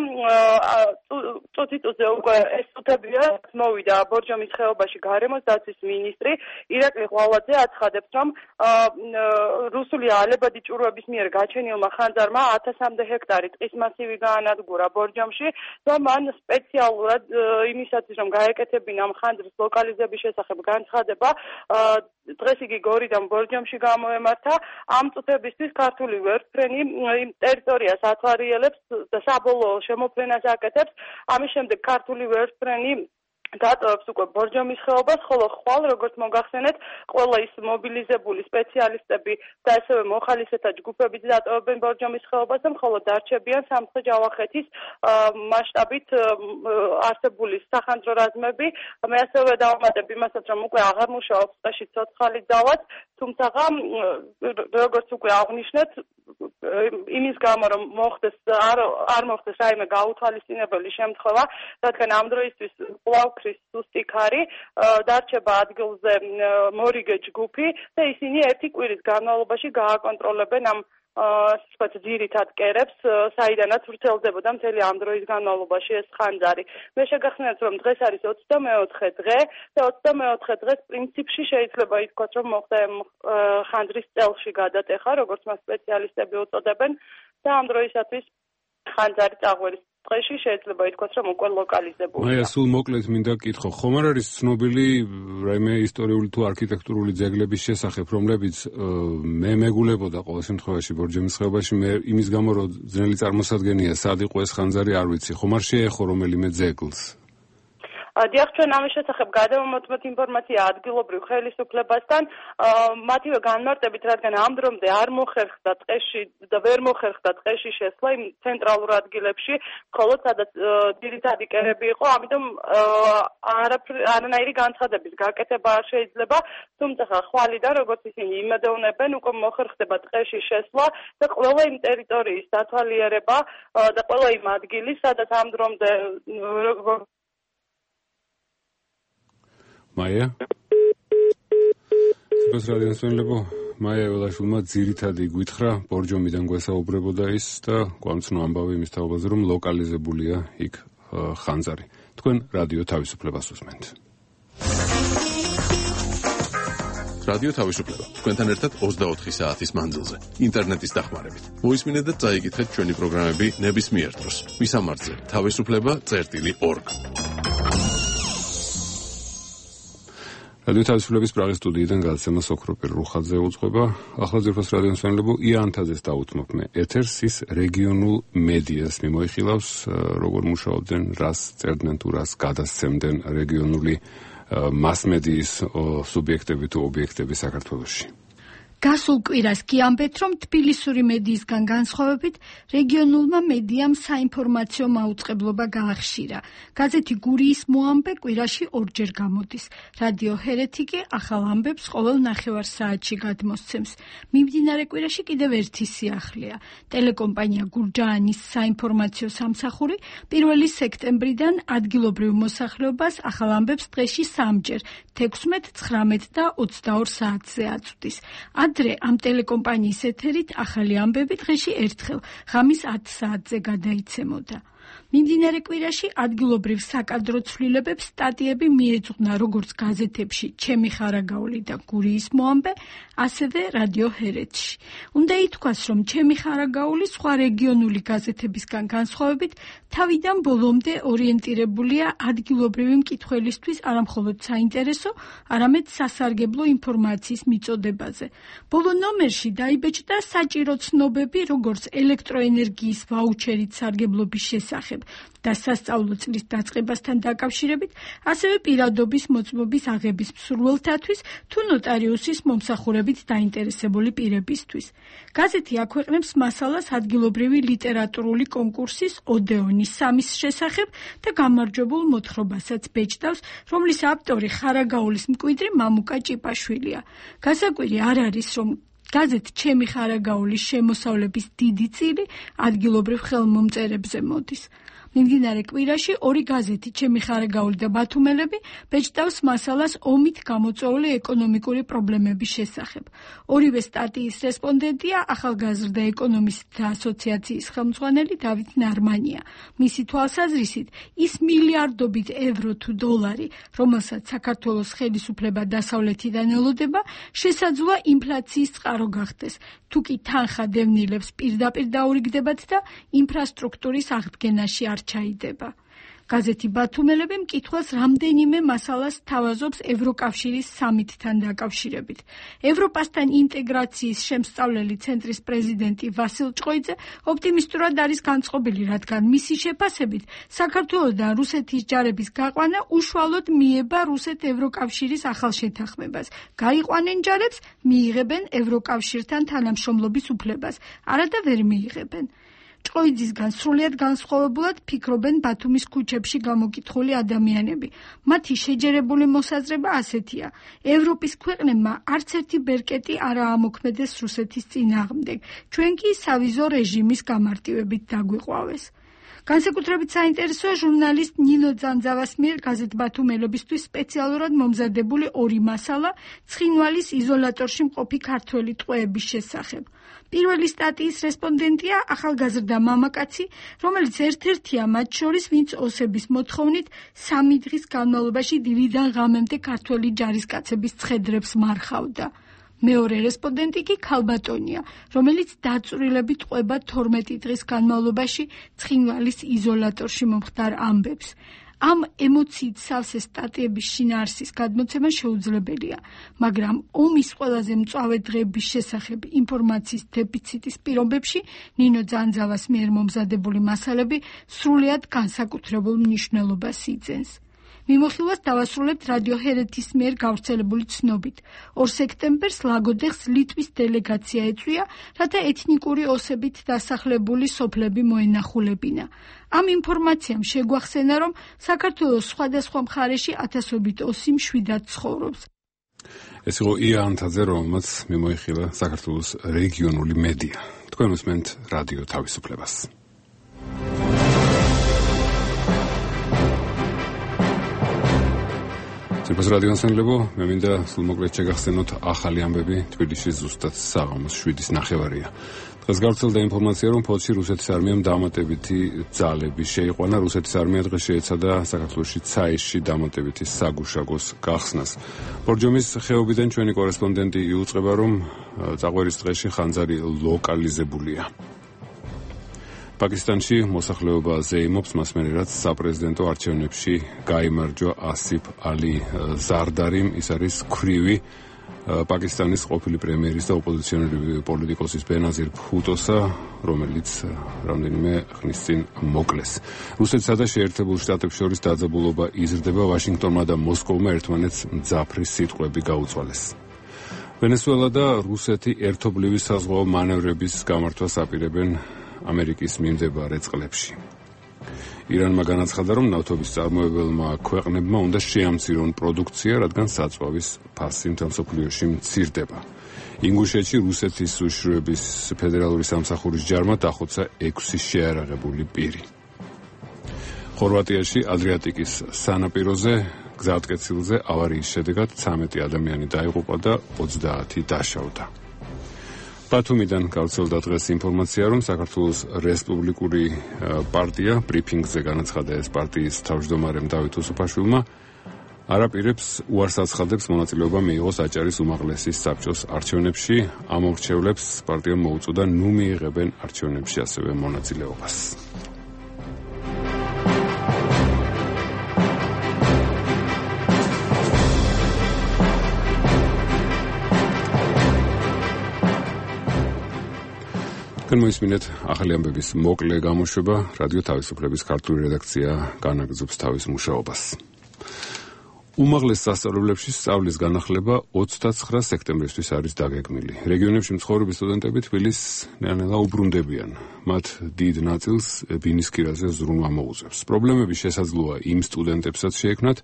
Speaker 7: წუთიწუთზე უკვე ეს წუთებია მოვიდა ბორჯომის ხეობაში გარემოს დაცვის მინისტრი ირაკლი ღვალაძე აცხადებს, რომ რუსული ალებადი ჭურვების მიერ გაჩენილმა ხანძარმა ათასამდე ჰექტარი ტყის მასივი გაანადგურა ბორჯომში და მან სპეციალურად იმისათვის, რომ გაეკეთებინა ამ ხანძრის ლოკალიზების შესახებ განცხადება. დღეს იგი გორიდან ბორჯომში გამოემართა. ამ წუთებისთვის ქართული ვერტფრენი იმ ტერიტორიას ათვალიერებს და საბოლოო შემოფრენას აკეთებს. ამის შემდეგ ქართული ვერტფრენი დატოვებს უკვე ბორჯომის ხეობას, ხოლო ხვალ, როგორც მოგახსენეთ, ყველა ის მობილიზებული სპეციალისტები და ასევე მოხალისეთა ჯგუფებიც დატოვებენ ბორჯომის ხეობას, ხოლო დარჩებიან სამცხე-ჯავახეთის მასშტაბით არსებული სახანძრო რაზმები. მე ასევე დავამატებ იმასაც, რომ უკვე აღარ მუშაობს ტყეში ცოცხალი ძალაც, თუმცა როგორც უკვე აღნიშნეთ, იმის გამო რომ მოხდეს არ არ მოხდეს რაიმე გაუთვალისწინებელი შემთხვევა, რადგან ამ დროისთვის კვლავ ქრის სუსტი ქარი, დარჩება ადგილზე მორიგე ჯგუფი და ისინი ერთი კვირის განმავლობაში გააკონტროლებენ ამ ასე ძირითად კერებს, საიდანაც ვრცელდებოდა მთელი ამ დროის განმავლობაში ეს ხანძარი. მე შეგახსენებთ, რომ დღეს არის ოცდამეოთხე დღე და ოცდამეოთხე დღეს პრინციპში შეიძლება ითქვას, რომ მოხდა ხანძრის წელში გადატეხა, როგორც მას სპეციალისტები უწოდებენ და ამ დროისათვის ხანძარი წაღვერის დღეში შეიძლება ითქვას, რომ უკვე ლოკალიზებულია.
Speaker 1: აი, სულ მოკლედ მინდა კითხო, ხომ არ არის ცნობილი რაიმე ისტორიული თუ არქიტექტურული ძეგლების შესახებ, რომლებიც მე მეგულებოდა ყოველ შემთხვევაში ბორჯომის ხეობაში, მე იმის გამო რომ ძნელი წარმოსადგენია, სად იყო ეს ხანძარი, არ ვიცი. ხომ არ შეეხო რომელიმე ძეგლს?
Speaker 7: დიახ, ჩვენ ამის შესახებ გადავამოწმეთ ინფორმაცია ადგილობრივ ხელისუფლებასთან, მათივე განმარტებით, რადგან ამ დრომდე არ მოხერხდა ტყეში და ვერ მოხერხდა ტყეში შესვლა იმ ცენტრალურ ადგილებში, მხოლოდ სადაც ძირითადი კერები იყო, ამიტომ არანაირი განცხადების გაკეთება არ შეიძლება, თუმცა ხვალიდან, როგორც ისინი იმედოვნებენ, უკვე მოხერხდება ტყეში შესვლა და ყველა იმ ტერიტორიის დათვალიერება და ყველა იმ ადგილი, სადაც ამ დრომდე
Speaker 1: მაია სპეს რადიოს ვენლებო მაია ველაშვილმა ძირითადი გვითხრა ბორჯომიდან გვესაუბრებოდა ის და გვამცნო ამბავი იმის თაობაზე რომ ლოკალიზებულია იქ ხანძარი. თქვენ რადიო თავისუფლებას უსმენთ.
Speaker 2: რადიო თავისუფლება თქვენთან ერთად ოცდაოთხი საათის მანძილზე ინტერნეტის დახმარებით. მოისმინეთ და წაიკითხეთ ჩვენი პროგრამები ნებისმიერ დროს. მისამართზე თავისუფლება წერტილი ორგ. რადიო თავისუფლების პრაღის სტუდიიდან გადაცემა ოქროპირ რუხაძე უძღვება. ახლა ძირფას რადიოს მსმენელებო იანთაძეს დავუთმობ მე ეთერს, ის რეგიონულ მედიას მიმოიხილავს, როგორ მუშაობდნენ, რას წერდნენ თუ რას გადასცემდნენ რეგიონული მასმედიის სუბიექტები თუ ობიექტები საქართველოში.
Speaker 13: გასულ კვირას კი ამბეთ, რომ თბილისური მედიისგან განსხვავებით რეგიონულმა მედიამ საინფორმაციო მაუწყებლობა გაახშირა. გაზეთი გურიის მოამბე კვირაში ორჯერ გამოდის. რადიო ჰერეთი კი ახალ ამბებს ყოველ ნახევარ საათში გადმოსცემს. მიმდინარე კვირაში კიდევ ერთი სიახლეა. ტელეკომპანია გურჯაანის საინფორმაციო სამსახური პირველი სექტემბრიდან ადგილობრივ მოსახლეობას ახალ ამბებს დღეში სამჯერ, თექვსმეტ, ცხრამეტ და ოცდაორ საათზე აწვდის. ადრე ამ ტელეკომპანიის ეთერით ახალი ამბები დღეში ერთხელ, ღამის ათ საათზე გადაიცემოდა. მიმდინარე კვირაში ადგილობრივ საკადრო ცვლილებებს სტატიები მიეძღვნა როგორც გაზეთებში ჩემი ხარაგაული და გურიის მოამბე, ასევე რადიო ჰერეთში. უნდა ითქვას, რომ ჩემი ხარაგაული სხვა რეგიონული გაზეთებისგან განსხვავებით თავიდან ბოლომდე ორიენტირებულია ადგილობრივი მკითხველისთვის არამხოლოდ საინტერესო, არამედ სასარგებლო ინფორმაციის მიწოდებაზე. ბოლო ნომერში დაიბეჭდა საჭირო ცნობები, როგორც ელექტროენერგიის ვაუჩერით სარგებლობის შესახებ და სასწავლო წლის დაწყებასთან დაკავშირებით, ასევე პირადობის მოწმობის აღების მსურველთათვის თუ ნოტარიუსის მომსახურებით დაინტერესებული პირებისთვის. გაზეთი აქვეყნებს მასალას ადგილობრივი ლიტერატურული კონკურსის ოდეონის სამის შესახებ და გამარჯვებულ მოთხრობასაც ბეჭდავს, რომლის ავტორი ხარაგაულის მკვიდრი მამუკა ჭიპაშვილია. გასაკვირი არ არის, რომ გაზეთ ჩემი ხარაგაულის შემოსავლების დიდი წილი ადგილობრივ ხელმომწერებზე მოდის. მიმდინარე კვირაში ორი გაზეთი ჩემი ხარაგაული და ბათუმელები ბეჭდავს მასალას ომით გამოწვეული ეკონომიკური პრობლემების შესახებ. ორივე სტატიის რესპონდენტია ახალგაზრდა ეკონომისტთა ასოციაციის ხელმძღვანელი დავით ნარმანია. მისი თვალსაზრისით, ის მილიარდობით ევრო თუ დოლარი, რომელსაც საქართველოს ხელისუფლება დასავლეთიდან ელოდება, შესაძლოა ინფლაციის წყარო გახდეს, თუ კი თანხა დევნილებს პირდაპირ დაურიგდებათ და ინფრასტრუქტურის აღდგენაში არ ჩაიდება. გაზეთი ბათუმელები მკითხველს რამდენიმე მასალას თავაზობს ევროკავშირის სამიტთან დაკავშირებით. ევროპასთან ინტეგრაციის შემსწავლელი ცენტრის პრეზიდენტი ვასილ ჭყოიძე ოპტიმისტურად არის განწყობილი, რადგან მისი შეფასებით საქართველოსთან რუსეთის ჯარების გაყვანა უშუალოდ მიება რუსეთ-ევროკავშირის ახალ შეთანხმებას. გაიყვანენ ჯარებს, მიიღებენ ევროკავშირთან თანამშრომლობის უფლებას, არადა ვერ მიიღებენ. ჭყოიძისგან სრულიად განსხვავებულად ფიქრობენ ბათუმის ქუჩებში გამოკითხული ადამიანები. მათი შეჯერებული მოსაზრება ასეთია: ევროპის ქვეყნებმა არც ერთი ბერკეტი არ აამოქმედეს რუსეთის წინააღმდეგ, ჩვენ კი სავიზო რეჟიმის გამარტივებით დაგვიყვავეს. განსაკუთრებით საინტერესოა ჟურნალისტ ნინო ძანძავას მიერ გაზეთ ბათუმელებისთვის სპეციალურად მომზადებული ორი მასალა ცხინვალის იზოლატორში მყოფი ქართველი ტყვეების შესახებ. პირველი სტატიის რესპონდენტია ახალგაზრდა მამაკაცი, რომელიც ერთ-ერთია მათ შორის, ვინც ოსების მოთხოვნით სამი დღის განმავლობაში დილიდან ღამემდე ქართველი ჯარისკაცების ცხედრებს მარხავდა. მეორე რესპონდენტი კი ქალბატონია, რომელიც დაწვრილებით ყვება თორმეტი დღის განმავლობაში ცხინვალის იზოლატორში მომხდარ ამბებს. ამ ემოციით სავსე სტატიების შინაარსის გადმოცემა შეუძლებელია, მაგრამ ომის ყველაზე მწვავე დღეების შესახებ ინფორმაციის დეფიციტის პირობებში ნინო ძანძავას მიერ მომზადებული მასალები სრულიად განსაკუთრებულ მნიშვნელობას იძენს. მიმოხილვას დავასრულებთ რადიო ჰერეთის მიერ გავრცელებული ცნობით. ორ სექტემბერს ლაგოდეხს ლიტვის დელეგაცია ეწვია, რათა ეთნიკური ოსებით დასახლებული სოფლები მოენახულებინა. ამ ინფორმაციამ შეგვახსენა, რომ საქართველოს სხვადასხვა მხარეში ათასობით ოსი მშვიდად ცხოვრობს.
Speaker 1: ეს იყო ია ანთაძე, რომელმაც მიმოიხილა საქართველოს რეგიონული მედია. თქვენ უსმენთ რადიო თავისუფლებას. სერბოს რადიო ანსამბლებო, მე მინდა სულმოკლედ შეგახსენოთ ახალი ამბები თბილისში ზუსტად საღამოს შვიდის ნახევარია. დღეს გავრცელდა ინფორმაცია, რომ ფოთში რუსეთის არმიამ დამატებითი ძალები შეიყვანა. რუსეთის არმია დღეს შეეცადა საქართველოში ცაისში დამატებითი საგუშაგოს გახსნას. ბორჯომის ხეობიდან ჩვენი კორესპონდენტი იუწყება, რომ წაღვერის დღეში ხანძარი ლოკალიზებულია. პაკისტანში მოსახლეობა ზეიმობს, მას მერე რაც საპრეზიდენტო არჩევნებში გაიმარჯვა ასიფ ალი ზარდარიმ. ის არის ქვრივი პაკისტანის ყოფილი პრემიერის და ოპოზიციონერი პოლიტიკოსის ბენაზირ ფუტოსა, რომელიც რამდენიმე ხნის წინ მოკლეს. რუსეთსა და შეერთებულ შტატებს შორის დაძაბულობა იზრდება. ვაშინგტონმა და მოსკოვმა ერთმანეთს მძაფრი სიტყვები გაუწვალეს. ვენესუელა და რუსეთი ერთობლივი საზღვაო მანევრების გამართვას აპირებენ ამერიკის მიმდებარე წყლებში. ირანმა განაცხადა, რომ ნავთობის წარმოებელმა ქვეყნებმა უნდა შეამცირონ პროდუქცია, რადგან საწვავის ფასი მთელ მსოფლიოში მცირდება. ინგუშეთში რუსეთის უშიშროების ფედერალური სამსახურის ჯარმა დახოცა ექვსი შეარაღებული პირი. ხორვატიაში ადრიატიკის სანაპიროზე გზატკეცილზე ავარიის შედეგად ცამეტი ადამიანი დაიღუპა და ოცდაათი დაშავდა. ბათუმიდან გავრცელდა დღეს ინფორმაცია, რომ საქართველოს რესპუბლიკური პარტია ბრიფინგზე განაცხადა, ეს პარტიის თავმჯდომარემ დავით უსუფაშვილმა არაპირებს უარს აცხადებს მონაწილეობა მიიღოს აჭარის უმაღლესი საბჭოს არჩევნებში. ამ მორჩევლებს პარტიამ მოუწოდა ნუ მიიღებენ არჩევნებში ასევე მონაწილეობას. თქვენ მოისმინეთ ახალი ამბების მოკლე გამოშვება. რადიო თავისუფლების ქართული რედაქცია განაგრძობს თავის მუშაობას. უმაღლეს სასწავლებლებში სწავლის განახლება ოცდაცხრა სექტემბრისთვის არის დაგეგმილი. რეგიონებში მცხოვრები სტუდენტები თბილისს ნელ-ნელა უბრუნდებიან. მათ დიდ ნაწილს ბინისქირაზე ზრუნვა მოუწევს. პრობლემები შესაძლოა იმ სტუდენტებსაც შეექმნათ,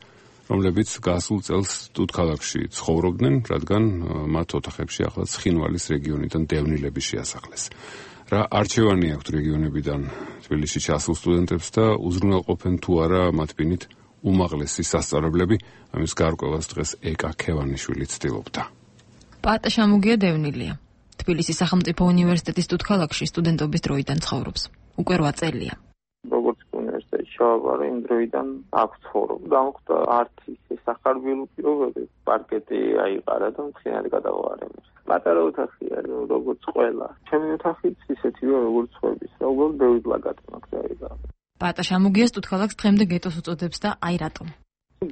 Speaker 1: რომლებიც გასულ წელს სტუდქალაქში ცხოვრობდნენ, რადგან მათ ოთახებში ახლა ცხინვალის რეგიონიდან დევნილები შეასახლეს. რა არჩევანი აქვთ რეგიონებიდან თბილისში ჩასულ სტუდენტებს და უზრუნველყოფენ თუ არა მათ ბინით უმაღლესი სასწავლებლები, ამის გარკვევას დღეს ეკა ქევანიშვილი ცდილობდა.
Speaker 14: პატა შამუგია დევნილია. თბილისის სახელმწიფო უნივერსიტეტის სტუდქალაქში სტუდენტობის დროიდან ცხოვრობს. უკვე რვა წელია.
Speaker 15: როგორც უნივერსიტეტში შევაბარე, იმ დროიდან აქ ცხოვრობ. გამოხდა არც ისე სახარბიელო პირობები, პარკეტი აიყარა და მთლიანად გადავარემე. პატარა ოთახია, როგორც ყველა. ჩემი ოთახიც ისეთივე როგორც სხვების. უბრალოდ ბევრი პლაკატი მაქვს დაიღალე.
Speaker 14: პატა შამუგიას თუთქალაქს დღემდე გეტოს უწოდებს და აი რატომ.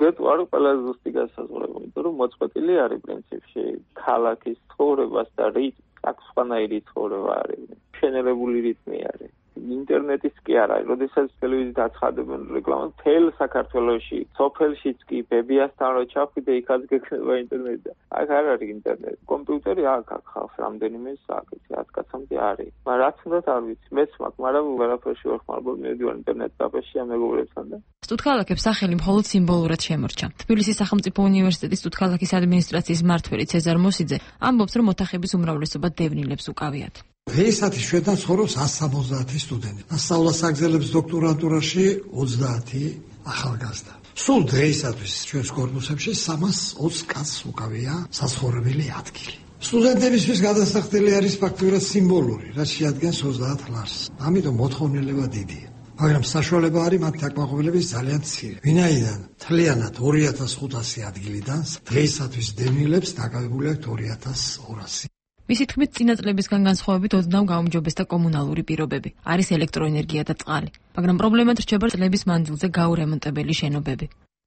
Speaker 15: გეტო არის ყველაზე ზუსტი განსაზღვრება, იმიტომ რომ მოწყვეტილი არის პრინციპში ქალაქის ცხოვრებას და რიტმი, აქ სხვანაირი ცხოვრება არის, შენელებული რიტმი არის. ინტერნეტის კი არა, როდესაც ტელევიზიით აცხადებენ რეკლამას, მთელ საქართველოში, სოფელშიც კი ბებიასთან რო ჩავხვიდე, იქაც გექნება ინტერნეტი. აქ არ არის ინტერნეტი. კომპიუტერი აქ აქ ხავს რამდენიმე საათი, ათ კაცამდე არის. მაგრამ რაც უნდა არ ვიცი, მეც მაქვს, მაგრამ ვერაფერში ვერ ხმარობ, მივიდივარ ინტერნეტ კაფეში ამ მეგობრებთან და
Speaker 14: სტუთქალაქებს სახელი მხოლოდ სიმბოლურად შემორჩა. თბილისის სახელმწიფო უნივერსიტეტის სტუთქალაქის ადმინისტრაციის მმართველი ცეზარ მოსიძე ამბობს, რომ ოთახების უმრავლესობა დევნილებს უკავიათ.
Speaker 16: დღეისათვის ჩვენთან ცხოვრობს ასი სამოცდაათი სტუდენტი. სწავლას აგრძელებს დოქტორანტურაში ოცდაათი ახალგაზრდა. სულ დღეისათვის ჩვენს კორპუსებში სამას ოცი კაცს უკავია საცხოვრებელი ადგილი. სტუდენტებისთვის გადასახდელი არის ფაქტურად სიმბოლური, რაც შეადგენს ოცდაათ ლარს. ამიტომ მოთხოვნილება დიდია. მაგრამ საშუალება არის მათ დაკმაყოფილების ძალიან მცირე. ვინაიდან მთლიანად ორი ათას ხუთასი ადგილიდან დღეისათვის დევნილებს დაკავებული აქვთ ორი ათას ორასი.
Speaker 14: მისი თქმით, წინა წლებისგან განსხვავებით ოდნავ გაუმჯობესდა კომუნალური პირობები. არის ელექტროენერგია და წყალი. მაგრამ პრობლემად რჩება წლების მანძილზე გაურემონტებელი შენობები.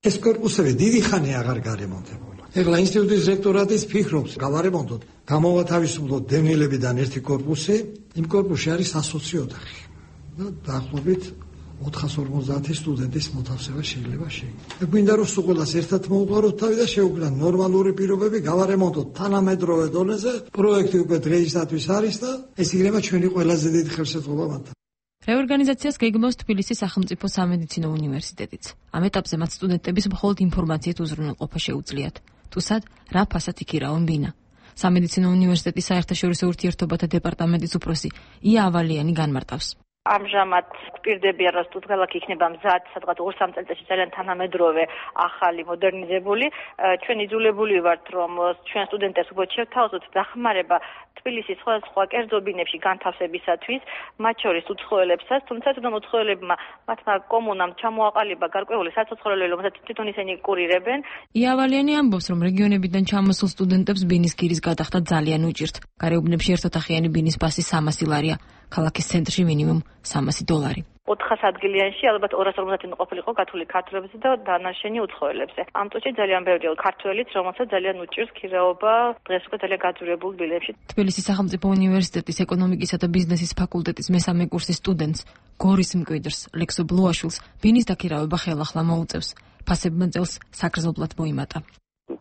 Speaker 16: ეს კორპუსები დიდი ხანი აღარ გარემონტებულა. ეხლა ინსტიტუტის რექტორატიც ფიქრობს გავარემონტოთ, გამოვათავისუფლოთ დევნილებიდან ერთი კორპუსი, იმ კორპუსში არის ასოცი ოთახი. და დაახლოებით ოთხას ორმოცდაათი სტუდენტის მოთავსება შეიძლება შეიქმნას. გვინდა რომ სულ ყველას ერთად მოუყაროთ თავი და შეუქმნათ ნორმალური პირობები, გავარემონტოთ თანამედროვე დონეზე. პროექტი უკვე დღეისათვის არის და ეს იქნება ჩვენი ყველაზე დიდი ხელშეწყობა მათთან.
Speaker 14: რეორგანიზაციას გეგმავს თბილისის სახელმწიფო სამედიცინო უნივერსიტეტიც. ამ ეტაპზე მათ სტუდენტების მხოლოდ ინფორმაციით უზრუნველყოფა შეუძლიათ. თუ სად, რა ფასად იქირავონ ბინა. სამედიცინო უნივერსიტეტის საერთაშორისო ურთიერთობათა დეპარტამენტის უფროსი ია ავალიანი განმარტავს.
Speaker 17: ამჟამად გვპირდებიან, რომ სტუთქალაქი იქნება მზად, სადღაც ორ სამ წელიწადში ძალიან თანამედროვე, ახალი, მოდერნიზებული. ჩვენ იძულებული ვართ, რომ ჩვენ სტუდენტებს უფრო შევთავაზოთ დახმარება თბილისის სხვადასხვა კერძო ბინებში განთავსებისათვის, მათ შორის უცხოელებსაც, თუმცა თვითონ უცხოელებმა მათმა კომუნამ ჩამოაყალიბა გარკვეული საცოცხლოელი, რომელსაც თვითონ ისინი კურირებენ.
Speaker 14: იავალიანი ამბობს, რომ რეგიონებიდან ჩამოსულ სტუდენტებს ბინის გირის გადახდა ძალიან უჭირთ. გარეუბნებში ერთოთახიანი ბინის პასი სამასი ლარია. ქალაქის ცენტრში მინიმუმ სამასი დოლარი.
Speaker 17: ოთხას ადგილიანში ალბათ ორას ორმოცდაათი ყოფილიყო გათვლილი ქართველებზე და დანარჩენი უცხოელებზე. ამ წუთში ძალიან ბევრია ქართველიც, რომელსაც ძალიან უჭირს ქირაობა დღეს უკვე ძალიან გაძვირებულ ბილებში.
Speaker 14: თბილისის სახელმწიფო უნივერსიტეტის ეკონომიკისა და ბიზნესის ფაკულტეტის მესამე კურსის სტუდენტს გორის მკვიდრს ლექსო ბლუაშვილს ბინის დაქირავება ხელახლა მოუწევს. ფასებმა წელს საგრძნობლად მოიმატა.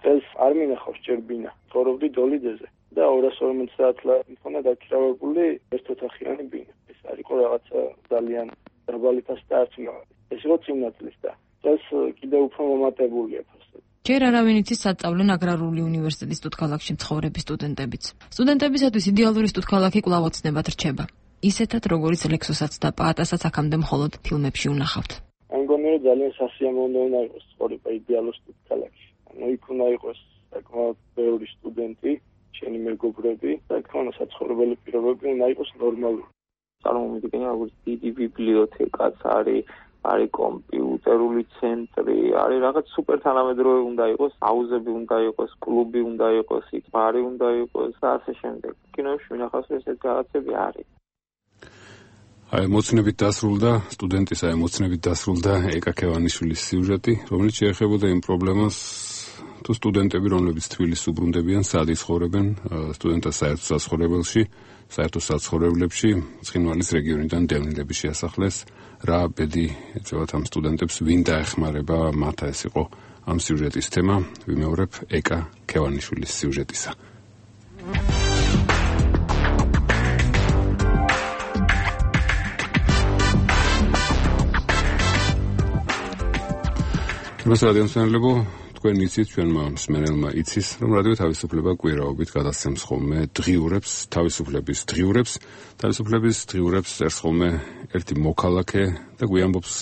Speaker 18: წელს არ მინახავს ჯერ ბინა, ცხოვრობდი დოლიძეზე. და ორას ორმოცდაათ ლარი მქონდა დაქირავებული ერთოთახიანი ბინა. ეს არისო რაღაცა ძალიან დაბალი ფასი და არც ეს იყო წინა წლის და წელს კიდევ უფრო მომატებულია ფასი.
Speaker 14: ჯერ არავინ იცის საწავლენ აგრარული უნივერსიტეტის სტუთქალაქში მცხოვრები სტუდენტებიც. სტუდენტებისათვის იდეალური სტუთქალაქი კვლავ ოცნებად რჩება. ისეთად როგორც ლექსოსაც და პაატასაც აქამდე მხოლოდ ფილმებში უნახავთ.
Speaker 18: მე მგონი რომ ძალიან სასიამოვნო უნდა იყოს ცხოვრება იდეალურ სტუდენტებში. ანუ იქ უნდა იყოს საკმაოდ ბევრი სტუდენტი, შენი მეგობრები და ქონა საცხოვრებელი პირობები უნდა იყოს ნორმალური.
Speaker 15: წარმომიდგენია როგორც დიდი ბიბლიოთეკაც არის, არის კომპიუტერული ცენტრი, არის რაღაც სუპერ თანამედროვე უნდა იყოს, აუზები უნდა იყოს, კლუბი უნდა იყოს, იქ ბარი უნდა იყოს და ასე შემდეგ. კინოში ვნახავს ესეთ რაღაცები არის.
Speaker 1: აი ემოცნებით დასრულდა სტუდენტის აი ემოცნებით დასრულდა ეკა ქევანიშვილის სიუჟეტი, რომელიც შეეხებოდა იმ პრობლემას, თუ სტუდენტები, რომლებიც თბილისს უბრუნდებიან, სად იცხოვრებენ სტუდენტთა საერთო საცხოვრებელში, საერთო საცხოვრებლებში, ცხინვალის რეგიონიდან დევნილების შეასახლეს, რა ბედი ეწევათ ამ სტუდენტებს, ვინ დაეხმარება მათ, ეს იყო ამ სიუჟეტის თემა. ვიმეორებ ეკა ქევანიშვილის სიუჟეტისა. მას რადიომსმენელებო, თქვენ იცით, ჩვენმა მსმენელმა იცის, რომ რადიო თავისუფლება კვირაობით გადასცემს ხოლმე დღიურებს, თავისუფლების დღიურებს, თავისუფლების დღიურებს წერს ხოლმე ერთი მოქალაქე და გვიამბობს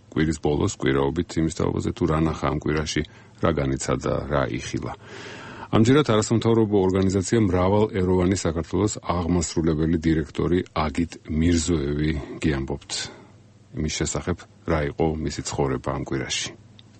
Speaker 1: კვირის ბოლოს კვირაობით იმის თაობაზე, თუ რა ნახა ამ კვირაში, რა განიცადა, რა იხილა. ამჯერად არასამთავრობო ორგანიზაცია მრავალეროვანი საქართველოს აღმასრულებელი დირექტორი აგით მირზოევი გიამბობთ იმის შესახებ, რა იყო მისი ცხოვრება ამ კვირაში.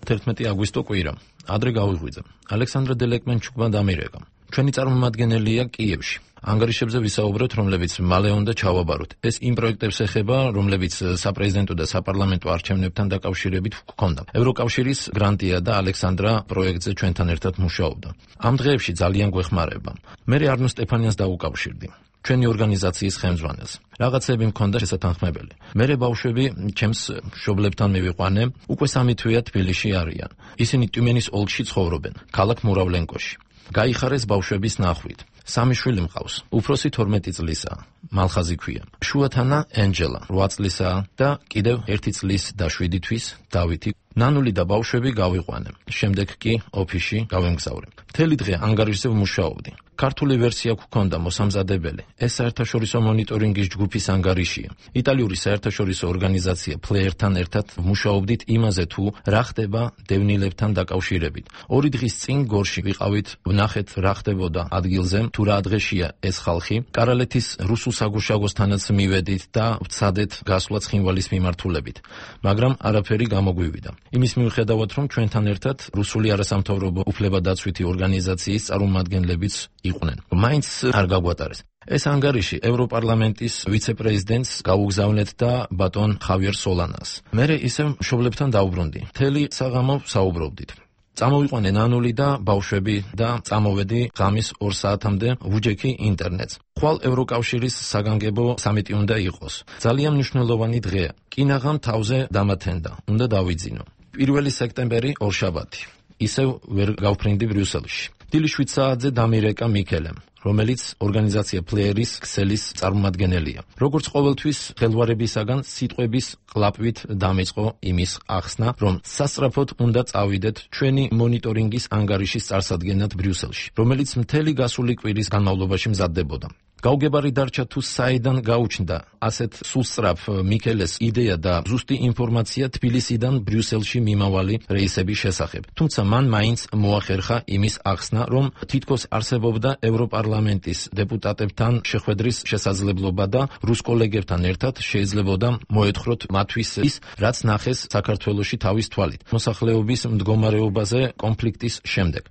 Speaker 19: თერთმეტი აგვისტო კვირა. ადრე გავიღვიძა. ალექსანდრე დელეკმენჩუკმა დამირეკა. ჩვენი წარმომადგენელია კიევში. ანგარიშებზე ვისაუბროთ, რომლებიც მალე უნდა ჩავაბაროთ. ეს იმ პროექტებს ეხება, რომლებიც საპრეზიდენტო და საპარლამენტო არჩევნებთან დაკავშირებით ჰქონდა. ევროკავშირის გრანტია და ალექსანდრა პროექტზე ჩვენთან ერთად მუშაობდა. ამ დღეებში ძალიან გვეხმარება. მე არნო სტეფანიანს დაუკავშირდი. ჩვენი ორგანიზაციის ხელმძღვანელს. რაღაცები მქონდა შესათანხმებელი. მე ბავშვები ჩემს მშობლებთან მივიყვანე, უკვე სამი თვეა თბილისში არიან. ისინი ტიუმენის ოლქში ცხოვრობენ, ქალაქ მურავლენკოში. გაიხარეს ბავშვების ნახვით. სამი შვილი მყავს. უფროსი თორმეტი წლისაა, მალხაზი ქვია. შუათანა ენჯელა რვა წლისაა და კიდევ ერთი წლის და შვიდი თვის დავითი. ნანული და ბავშვები გავიყვანე. შემდეგ კი ოფისში გავემგზავრე. მთელი დღე ანგარიშზე ვმუშაობდი. ქართული ვერსია გვქონდა მოსამზადებელი. ეს საერთაშორისო მონიტორინგის ჯგუფის ანგარიშია. იტალიური საერთაშორისო ორგანიზაცია ფლეერთან ერთად ვმუშაობდით იმაზე თუ რა ხდება დევნილებთან დაკავშირებით. ორი დღის წინ გორში ვიყავით, ვნახეთ რა ხდებოდა ადგილზე, თუ რა დღეშია ეს ხალხი. კარალეთის რუსულ საგუშაგოსთანაც მივედით და ვცადეთ გასვლა ცხინვალის მიმართულებით. მაგრამ არაფერი გამოგვივიდა. იმის მიუხედავად, რომ ჩვენთან ერთად რუსული არასამთავრობო უფლებადაცვითი ორგანიზაციის წარმომადგენლებიც იყვნენ. მაინც არ გაგვატარეს. ეს ანგარიში ევროპარლამენტის ვიცე-პრეზიდენტს გაუგზავნეთ და ბატონ ხავიერ სოლანას. მე ისევ მშობლებთან დავუბრუნდი. მთელი საღამო საუბრობდით. წამოვიყვანე ნანული და ბავშვები და წამოვედი ღამის ორ საათამდე ვუჯექი ინტერნეტს. ხვალ ევროკავშირის საგანგებო სამიტი უნდა იყოს. ძალიან მნიშვნელოვანი დღეა. კინაღამ თავზე დამათენდა. უნდა დავიძინო. პირველი სექტემბერი ორშაბათი. ისევ ვერ გავფრინდი ბრიუსელში. დილის შვიდ საათზე დამირეკა მიქელემ, რომელიც ორგანიზაცია ფლეერის ქსელის წარმომადგენელია. როგორც ყოველთვის ხელვარებისაგან სიტყვების ყლაპვით დამიწყო იმის ახსნა, რომ სასწრაფოდ უნდა წავიდეთ ჩვენი მონიტორინგის ანგარიშის წარსადგენად ბრიუსელში, რომელიც მთელი გასული კვირის განმავლობაში მზადდებოდა. გაუგებარი დარჩა თუ საიდან გაუჩნდა ასეთ სულსწრაფ მიქელეს იდეა და ზუსტი ინფორმაცია თბილისიდან ბრიუსელში მიმავალი რეისების შესახებ. თუმცა მან მაინც მოახერხა იმის ახსნა, რომ თითქოს არსებობდა ევროპარლამენტის დეპუტატებთან შეხვედრის შესაძლებლობა და რუს კოლეგებთან ერთად შეიძლებოდა მოეთხროთ მათთვის ის, რაც ნახეს საქართველოში თავის თვალით, მოსახლეობის მდგომარეობაზე კონფლიქტის შემდეგ,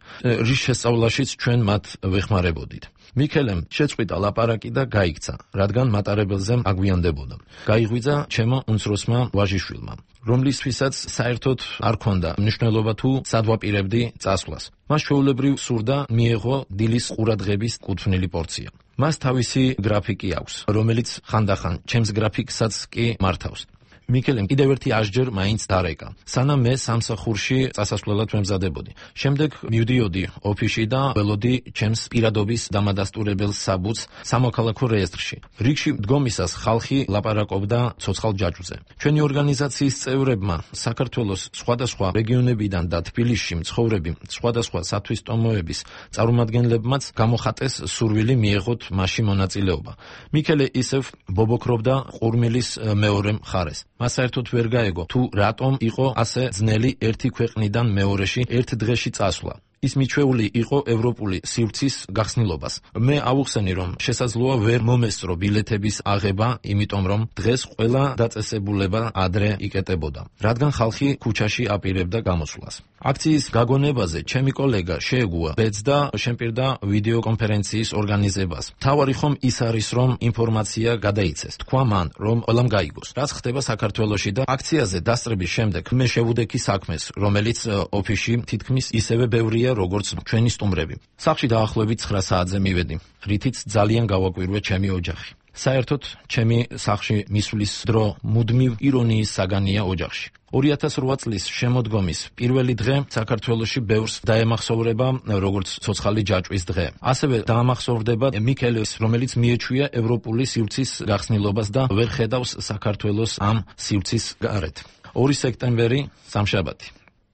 Speaker 19: რის შესწავლაშიც ჩვენ მათ ვეხმარებოდით. მიქელემ შეწყვიტა ლაპარაკი და გაიქცა, რადგან მატარებელზე აგვიანდებოდა. გაიღვიძა ჩემო უმცროსმა ვაჟიშვილმა, რომლისთვისაც საერთოდ არ ქონდა მნიშვნელობა თუ სადვაპირებდი წასვლას. მას ჩვეულებრივ სურდა მიეღო დილის ყურადღების კუთვნილი პორცია. მას თავისი გრაფიკი აქვს, რომელიც ხანდახან ჩემს გრაფიკსაც კი მართავს. მიქელემ კიდევ ერთი აშჯერ მაინც დარეკა. სანამ მე სამსახურში წასასვლელად ვემზადებოდი. შემდეგ მივდიოდი ოფისში და ველოდი ჩემს პირადობის დამადასტურებელ საბუთს სამოქალაქო რეესტრში. რიგში მდგომისას ხალხი ლაპარაკობდა ცოცხალ ჯაჭვზე. ჩვენი ორგანიზაციის წევრებმა საქართველოს სხვადასხვა რეგიონებიდან და თბილისში მცხოვრები სხვადასხვა სათვისტომოების წარმომადგენლებმაც გამოხატეს სურვილი მიეღოთ მასში მონაწილეობა. მიქელე ისევ ბობოქრობდა ყურმილის მეორე მხარეს. მას საერთოდ ვერ გაეგო თუ რატომ იყო ასე ძნელი ერთი ქვეყნიდან მეორეში ერთ დღეში წასვლა. ის მიჩვეული იყო ევროპული სივრცის გახსნილობას. მე ავუხსენი, რომ შესაძლოა ვერ მომესწრო ბილეთების აღება, იმიტომ რომ დღეს ყველა დაწესებულება ადრე იკეტებოდა, რადგან ხალხი ქუჩაში აპირებდა გამოსვლას. აქციის გაგონებაზე ჩემი კოლეგა შეეგუა ბედს და შემპირდა ვიდეო კონფერენციის ორგანიზებას. თავარი ხომ ის არის, რომ ინფორმაცია გადაიცეს. თქვა მან, რომ ყველამ გაიგოს, რაც ხდება საქართველოში და აქციაზე დასწრების შემდეგ მე შევუდექი საქმეს, რომელიც ოფისში თითქმის ისევე ბევრია, როგორც ჩვენი სტუმრები. სახლში დაახლოებით ცხრა საათზე მივედი, რითიც ძალიან გავაკვირვე ჩემი ოჯახი. საერთოდ ჩემი სახლში მისვლის დრო მუდმივ ირონიის საგანია ოჯახში. ორი ათას რვა წლის შემოდგომის პირველი დღე საქართველოში ბევრს დაემახსოვრება როგორც ცოცხალი ჯაჭვის დღე. ასევე დაამახსოვრდება მიქელეს, რომელიც მიეჩვია ევროპული სივრცის გახსნილობას და ვერ ხედავს საქართველოს ამ სივრცის გარეთ. ორი სექტემბერი სამშაბათი.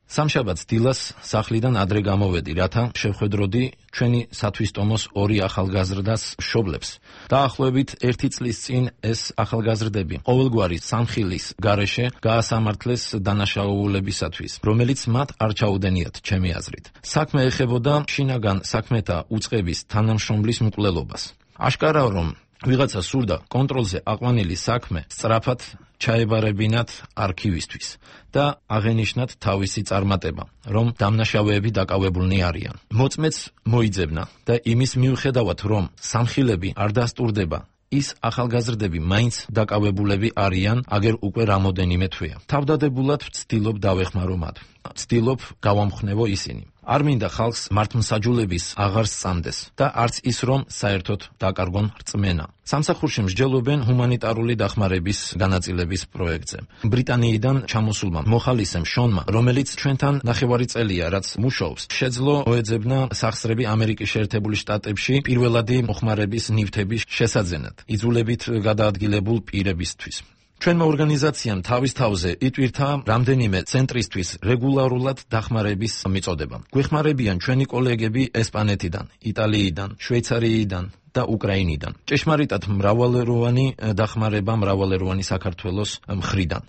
Speaker 19: სამშაბათს დილას სახლიდან ადრე გამოვედი, რათა შევხედროდი ჩვენი სათვისტომოს ორი ახალგაზრდას მშობლებს. დაახლოებით ერთი წლის წინ ეს ახალგაზრდები ყოველგვარი სამხილის გარეშე გაასამართლეს დანაშაულებისათვის, რომელიც მათ არ ჩაუდენიათ ჩემი აზრით. საქმე ეხებოდა შინაგან საქმეთა უწყების თანამშრომლის მკვლელობას. აშკარაა, რომ ვიღაცა სურდა კონტროლზე აყვანილი საქმე სწრაფად ჩაებარებინათ არქივისთვის და აღენიშნათ თავისი წარმატება, რომ დამნაშავეები დაკავებულნი არიან. მოწმეც მოიძებნა და იმის მიუხედავად, რომ სამხილები არ დასტურდება, ის ახალგაზრდები მაინც დაკავებულები არიან, აგერ უკვე რამოდენიმე თვეა. თავდადებულად ვცდილობ დავეხმარო მათ. ვცდილობ გავამხნევო ისინი. არ მინდა ხალხს მართლმსაჯულების აღარ სწამდეს და არც ის, რომ საერთოდ დაკარგონ რწმენა. სამსახურში მსჯელობენ ჰუმანიტარული დახმარების განაწილების პროექტზე. ბრიტანიიდან ჩამოსულმა მოხალისემ შონმა, რომელიც ჩვენთან ნახევარი წელია, რაც მუშაობს, შეძლო მოეძებნა სახსრები ამერიკის შეერთებული შტატებში პირველადი მოხმარების ნივთების შესაძენად, იძულებით გადაადგილებულ პირებისთვის. ჩვენმა ორგანიზაციამ თავის თავზე იტვირთა რამდენიმე ცენტრისთვის რეგულარულად დახმარების მიწოდება. გვეხმარებიან ჩვენი კოლეგები ესპანეთიდან, იტალიიდან, შვეიცარიიდან და უკრაინიდან. ჭეშმარიტად მრავალეროვანი დახმარება მრავალეროვანი საქართველოს მხრიდან.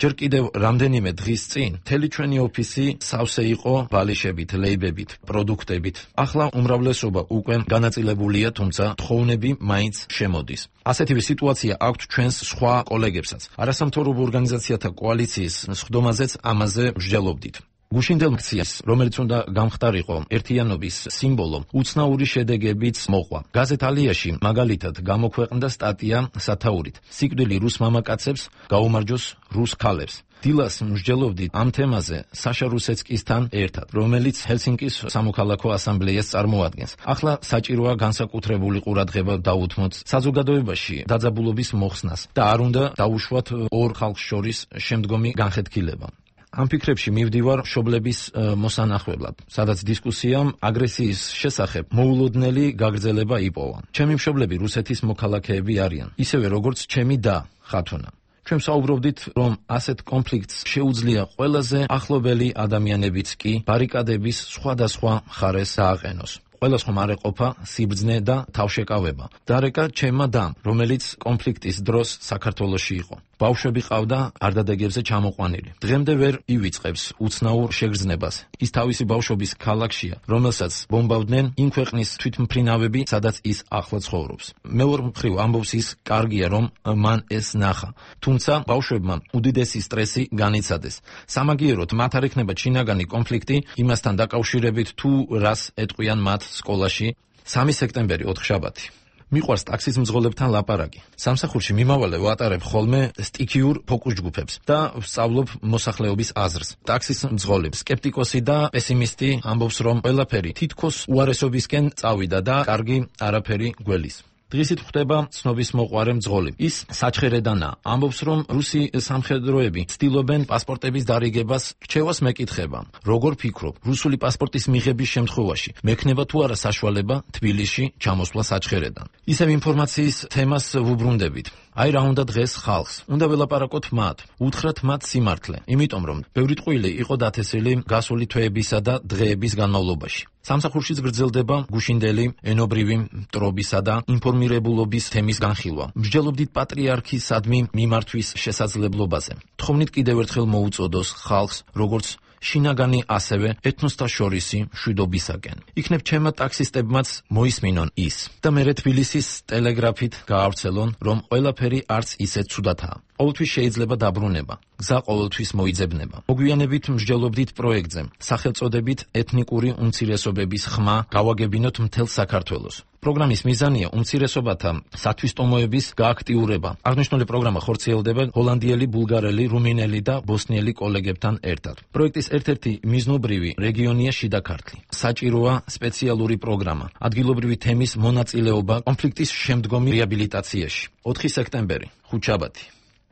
Speaker 19: ჯერ კიდევ რამდენიმე დღის წინ მთელი ჩვენი ოფისი სავსე იყო ბალიშებით, ლეიბებით, პროდუქტებით. ახლა უმრავლესობა უკვე განაწილებულია, თუმცა თხოვნები მაინც შემოდის. ასეთივე სიტუაცია აქვთ ჩვენს სხვა კოლეგებსაც. არასამთავრობო ორგანიზაციათა კოალიციის სხდომაზეც ამაზე მსჯელობდით. გუშინდელ აქციას, რომელიც უნდა გამხდარიყო ერთიანობის სიმბოლო, უცნაური შედეგებიც მოყვა. გაზეთ ალიაში მაგალითად გამოქვეყნდა სტატია სათაურით: სიკვდილი რუს მამაკაცებს, გაუმარჯოს რუს ქალებს. დილას მსჯელობდით ამ თემაზე საშა რუსეცკისთან ერთად, რომელიც ჰელსინკის სამოქალაქო ასამბლეას წარმოადგენს. ახლა საჭიროა განსაკუთრებული ყურადღება დაუთმოთ საზოგადოებაში დაძაბულობის მოხსნას და არ უნდა დაუშვათ ორ ხალხს შორის შემდგომი განხეთქილება. ამ ფიქრებში მივდივარ მშობლების მოსანახველად, სადაც დისკუსიამ აგრესიის შესახებ მოულოდნელი გაგრძელება იპოვა. ჩემი მშობლები რუსეთის მოქალაქეები არიან, ისევე როგორც ჩემი და ხათუნა. ჩვენ საუბრობდით, რომ ასეთ კონფლიქტს შეუძლია ყველაზე ახლობელი ადამიანებიც კი ბარიკადების სხვადასხვა მხარეს დააყენოს. ყველას ხომ არ ეყოფა სიბრძნე და თავშეკავება. დარეკა ჩემმა დამ, რომელიც კონფლიქტის დროს საქართველოში იყო. ბავშვები ყავდა არდადეგებზე ჩამოყვანილი. დღემდე ვერ ივიწყებს უცნაურ შეგრძნებას. ის თავისი ბავშვობის ქალაქშია, რომელსაც ბომბავდნენ იმ ქვეყნის თვითმფრინავები, სადაც ის ახლა ცხოვრობს. მეორე მხრივ ამბობს ის, კარგია რომ მან ეს ნახა. თუმცა ბავშვებმა უდიდესი სტრესი განიცადეს. სამაგიეროდ მათ არ ექნება შინაგანი კონფლიქტი იმასთან დაკავშირებით, თუ რას ეტყვიან მათ სკოლაში. სამი სექტემბერი ოთხშაბათი. მიყვარს ტაქსის მძღოლებთან ლაპარაკი. სამსახურში მიმავალე ვატარებ ხოლმე სტიქიურ ფოკუს ჯგუფებს და ვსწავლობ მოსახლეობის აზრს. ტაქსის მძღოლებს, სკეპტიკოსი და პესიმისტი ამბობს, რომ ყველაფერი თითქოს უარესობისკენ წავიდა და კარგი არაფერი გველის. დღისით ხდება ცნობის მოყვარე მძღოლი. ის საჩხერედანაა. ამბობს, რომ რუსი სამხედროები ცდილობენ პასპორტების დარიგებას. რჩევას მეკითხება: როგორ ფიქრობ, რუსული პასპორტის მიღების შემთხვევაში მექნება თუ არა საშუალება თბილისში ჩამოსვლა საჩხერედან? ისევ ინფორმაციის თემას ვუბრუნდებით. აი რა უნდა დღეს ხალხს. უნდა ველაპარაკოთ მათ, უთხრათ მათ სიმართლე, იმიტომ რომ ბევრი ტყუილი იყო დათესილი გასული თვეებისა და დღეების განმავლობაში. სამსახურშიც გრძელდება გუშინდელი ენობრივი მტრობისა და ინფორმირებულობის თემის განხილვა. მსჯელობდით პატრიარქისადმი მიმართვის შესაძლებლობაზე. თხოვნით კიდევ ერთხელ მოუწოდოს ხალხს, როგორც შინაგანი, ასევე ეთნოსთა შორისი მშვიდობისაკენ. იქნებ ჩემმა ტაქსისტებმაც მოისმინონ ის და მერე თბილისის ტელეგრაფით გაავრცელონ, რომ ყველაფერი არც ისე ცუდათაა. ყოველთვის შეიძლება დაბრუნება, გზა ყოველთვის მოიძებნება. მოგვიანებით მსჯელობდით პროექტზე, სახელწოდებით ეთნიკური უმცირესობების ხმა გავაგებინოთ მთელ საქართველოს. პროგრამის მიზანია უმცირესობათა სათვისტომოების გააქტიურება. აღნიშნული პროგრამა ხორციელდება ჰოლანდიელი, ბულგარელი, რუმინელი და ბოსნიელი კოლეგებთან ერთად. პროექტის ერთ-ერთი მიზნობრივი რეგიონია შიდა ქართლი. საჭიროა სპეციალური პროგრამა, ადგილობრივი თემის მონაწილეობა კონფლიქტის შემდგომი რეაბილიტაციაში. ოთხი სექტემბერი, ხუთშაბათი.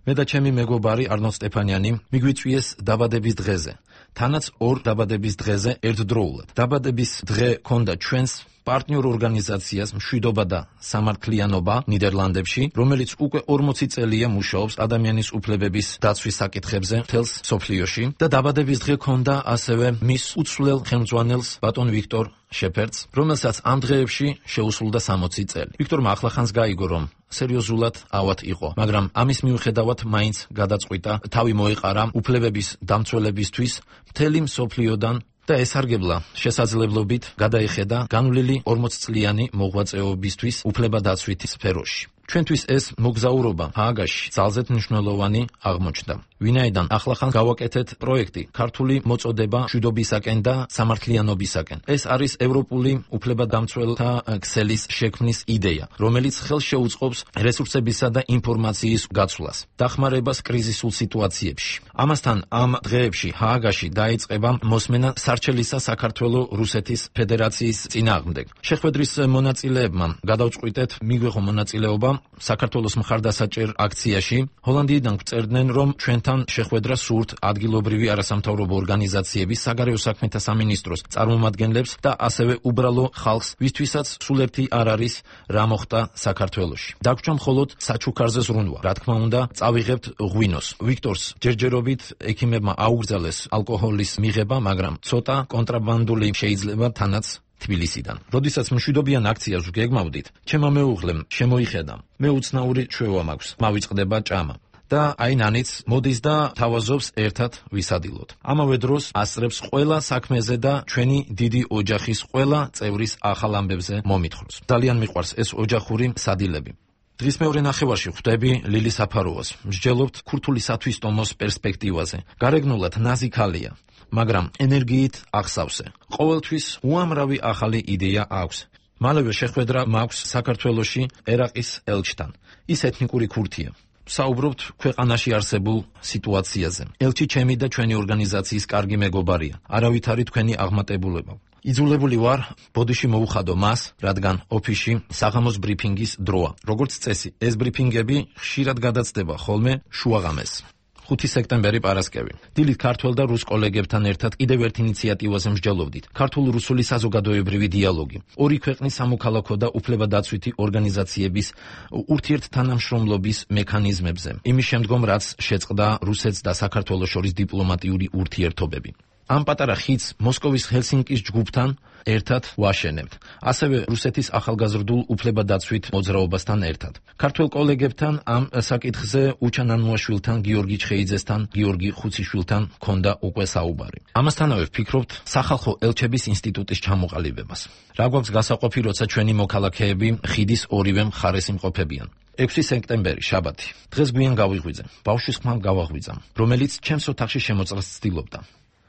Speaker 19: მე და ჩემი მეგობარი არნოლდ სტეფანიანი მიგვიწვიეს დაბადების დღეზე. თანაც ორ დაბადების დღეზე ერთდროულად. დაბადების დღე ქონდა ჩვენს პარტნიორ ორგანიზაციას მშვიდობა და სამართლიანობა ნიდერლანდებში, რომელიც უკვე ორმოცი წელია მუშაობს ადამიანის უფლებების დაცვის საკითხებზე მთელს მსოფლიოში და დაბადების დღე ქონდა ასევე მის უცვლელ ხელმძღვანელს ბატონ ვიქტორ შეფერდს, რომელსაც ამ დღეებში შეუსრულდა სამოცი წელი. ვიქტორმა ახლახანს გაიგო, რომ სერიოზულად ავად იყო, მაგრამ ამის მიუხედავად მაინც გადაწყვიტა თავი მოეყარა უფლებების დამცველებისთვის მთელი მსოფლიოდან და ესარგებლა შესაძლებლობით გადაეხედა განვლილი ორმოცწლიანი მოღვაწეობისთვის უფლებადაცვითი სფეროში. ჩვენთვის ეს მოგზაურობა ჰააგაში ძალზედ მნიშვნელოვანი აღმოჩნდა. ვინაიდან ახლახან გავაკეთეთ პროექტი ქართული მოწოდება მშვიდობისაკენ და სამართლიანობისაკენ. ეს არის ევროპული უფლებადამცველთა ქსელის შექმნის იდეა, რომელიც ხელს შეუწყობს რესურსებისა და ინფორმაციის გაცვლას, დახმარებას კრიზისულ სიტუაციებში. ამასთან ამ დღეებში ჰააგაში დაიწყება მოსმენა სარჩელისა საქართველოს რუსეთის ფედერაციის წინააღმდეგ. შეხვედრის მონაწილეებმა გადავწყვიტეთ მიგვიღო მონაწილეობა საქართველოს მხარდასაჭერ აქციაში. ჰოლანდიიდან გვწერდნენ, რომ ჩვენთან შეხვედრა სურთ ადგილობრივი არასამთავრობო ორგანიზაციების, საგარეო საქმეთა სამინისტროს წარმომადგენლებს და ასევე უბრალო ხალხს, ვისთვისაც სულ ერთი არ არის რა მოხდა საქართველოში. დაგვრჩა მხოლოდ საჩუქარზე ზრუნვა. რა თქმა უნდა, წავიღებთ ღვინოს. ვიქტორს ჯერჯერობით ექიმებმა აუგრძელეს ალკოჰოლის მიღება, მაგრამ ცოტა კონტრაბანდული შეიძლება თანაც თბილისიდან. როდესაც მშვიდობიან აქციას ვგეგმავდით, ჩემმა მეუღლემ შემოიხედა. მე უცნაური ჩვევა მაქვს, მავიწყდება ჭამა. და აი ნანიც მოდის და თავაზობს ერთად ვისადილოთ. ამავე დროს ასწრებს ყველა საქმეზე და ჩვენი დიდი ოჯახის ყველა წევრის ახალ ამბებზე მომითხროს. ძალიან მიყვარს ეს ოჯახური სადილები. დღის მეორე ნახევარში ხვდები ლილი საფაროვას. მსჯელობთ ქურთული სათვისტომოს პერსპექტივაზე. გარეგნულად ნაზი ქალია, მაგრამ ენერგიით აღსავსე. ყოველთვის უამრავი ახალი იდეა აქვს. მალევე შეხვედრა მაქვს საქართველოში ერაყის ელჩთან. ის ეთნიკური ქურთია. საუბრობთ ქვეყანაში არსებულ სიტუაციაზე. ელჩი ჩემი და ჩვენი ორგანიზაციის კარგი მეგობარია. არავითარი თქვენი აღმატებულება. იძულებული ვარ ბოდიში მოუხადო მას, რადგან ოფისში საღამოს ბრიფინგის დროა. როგორც წესი, ეს ბრიფინგები ხშირად გადაცდება ხოლმე შუაღამეს. ხუთი სექტემბერი პარასკევი. დილით ქართველ და რუს კოლეგებთან ერთად კიდევ ერთ ინიციატივაზე მსჯელობდით. ქართულ-რუსული საზოგადოებრივი დიალოგი. ორი ქვეყნის სამოქალაქო და უფლებადაცვითი ორგანიზაციების ურთიერთთანამშრომლობის მექანიზმებზე. იმის შემდგომ, რაც შეწყდა რუსეთს და საქართველოს შორის დიპლომატიური ურთიერთობები. ამ პატარა ხიდს მოსკოვის ჰელსინკის ჯგუფთან ერთად ვაშენებთ. ასევე რუსეთის ახალგაზრდულ უფლებადაცვით მოძრაობასთან ერთად. ქართველ კოლეგებთან ამ საკითხზე უჩანანუაშვილთან, გიორგი ჩხეიძესთან, გიორგი ხუციშვილთან ქონდა უკვე საუბარი. ამასთანავე ვფიქრობთ სახალხო ელჩების ინსტიტუტის ჩამოყალიბებას. რა გვაქვს გასაყოფი, როცა ჩვენი მოქალაქეები ხიდის ორივე მხარეს იმყოფებიან. ექვსი სექტემბერი, შაბათი. დღეს გვიან გავიღვიძე. ბავშვის ხმა გავაღვიძამ, რომელიც ჩემს ოთახში შემოწრას ცდილობდა.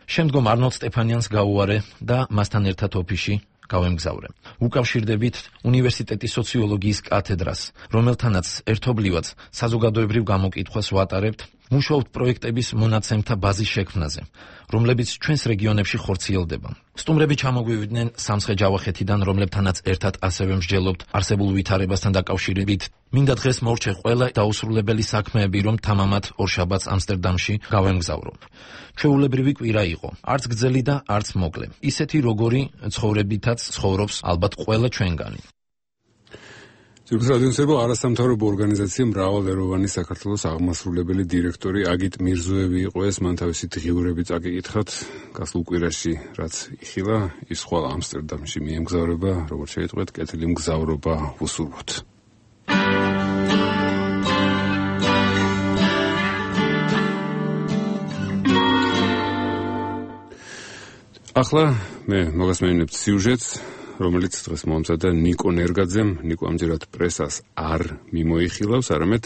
Speaker 19: შემდგომ არნოლდ სტეფანიანს გაუარე და მასთან ერთად ოფისში გავემგზავრე. უკავშირდებით უნივერსიტეტის სოციოლოგიის კათედრას, რომელთანაც ერთობლივად საზოგადოებრივ გამოკითხვას ვატარებთ, მუშაობთ პროექტების მონაცემთა ბაზის შექმნაზე, რომლებიც ჩვენს რეგიონებში ხორციელდება. სტუმრები ჩამოგვივიდნენ სამცხე-ჯავახეთიდან, რომლებთანაც ერთად ასევე მსჯელობთ არსებულ ვითარებასთან დაკავშირებით. მინდა დღეს მორჩე ყველა დაუსრულებელი საქმეები, რომ თამამად ორშაბათს ამსტერდამში გავემგზავრო. ჩვეულებრივი კვირა იყო, არც გრძელი და არც მოკლე. ისეთი როგორი ცხოვრებითაც ცხოვრობს ალბათ ყველა ჩვენგანი.
Speaker 1: ძირფის რადიოსებო არასამთავრობო ორგანიზაცია მრავალეროვანი საქართველოს აღმასრულებელი დირექტორი აგიტ მირზოევი იყო ეს, მან თავისი დღიურები წაკიკითხათ გასულ კვირაში, რაც იხილა, ის ხვალ ამსტერდამში მიემგზავრება, როგორც შეიტყვეთ, კეთილი მგზავრობა ვუსურვოთ. ახლა მე მოგასმენინებთ სიუჟეტს, რომელიც დღეს მომზადა ნიკო ნერგაძემ. ნიკო ამჯერად პრესას არ მიმოიხილავს, არამედ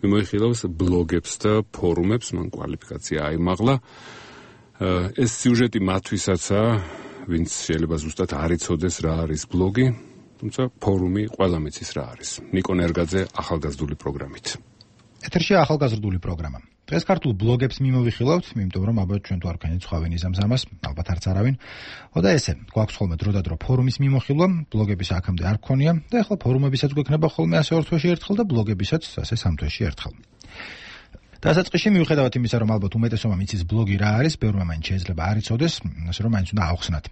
Speaker 1: მიმოიხილავს ბლოგებს და ფორუმებს, მან კვალიფიკაცია აიმაღლა. ეს სიუჟეტი მათთვისაცაა, ვინც შეიძლება ზუსტად არ იცოდეს რა არის ბლოგი, თუმცა ფორუმი ყველა მიცის რა არის. ნიკო ნერგაძე ახალგაზრდული პროგრამით.
Speaker 20: ეთერშია ახალგაზრდული პროგრამა. დღეს ქართულ ბლოგებს მიმოვიხილავთ, იმიტომ რომ ალბათ ჩვენ თუ არ ვქენით სხვა ვინიზამს ამას, ალბათ არც არავინ. და ესე, გვაქვს ხოლმე დროდადრო ფორუმის მიმოხილვა, ბლოგების აქამდე არ გქონია და ახლა ფორუმებისაც გვექნება ხოლმე ასე ორ თვეში ერთხელ და ბლოგებისაც ასე სამ თვეში ერთხელ. დასაწყისში მიუხედავად იმისა, რომ ალბათ უმეტესობა მიცის ბლოგი რა არის, ბევრმა მაინც შეიძლება არ იცოდეს, ასე რომ მაინც უნდა ავხსნათ.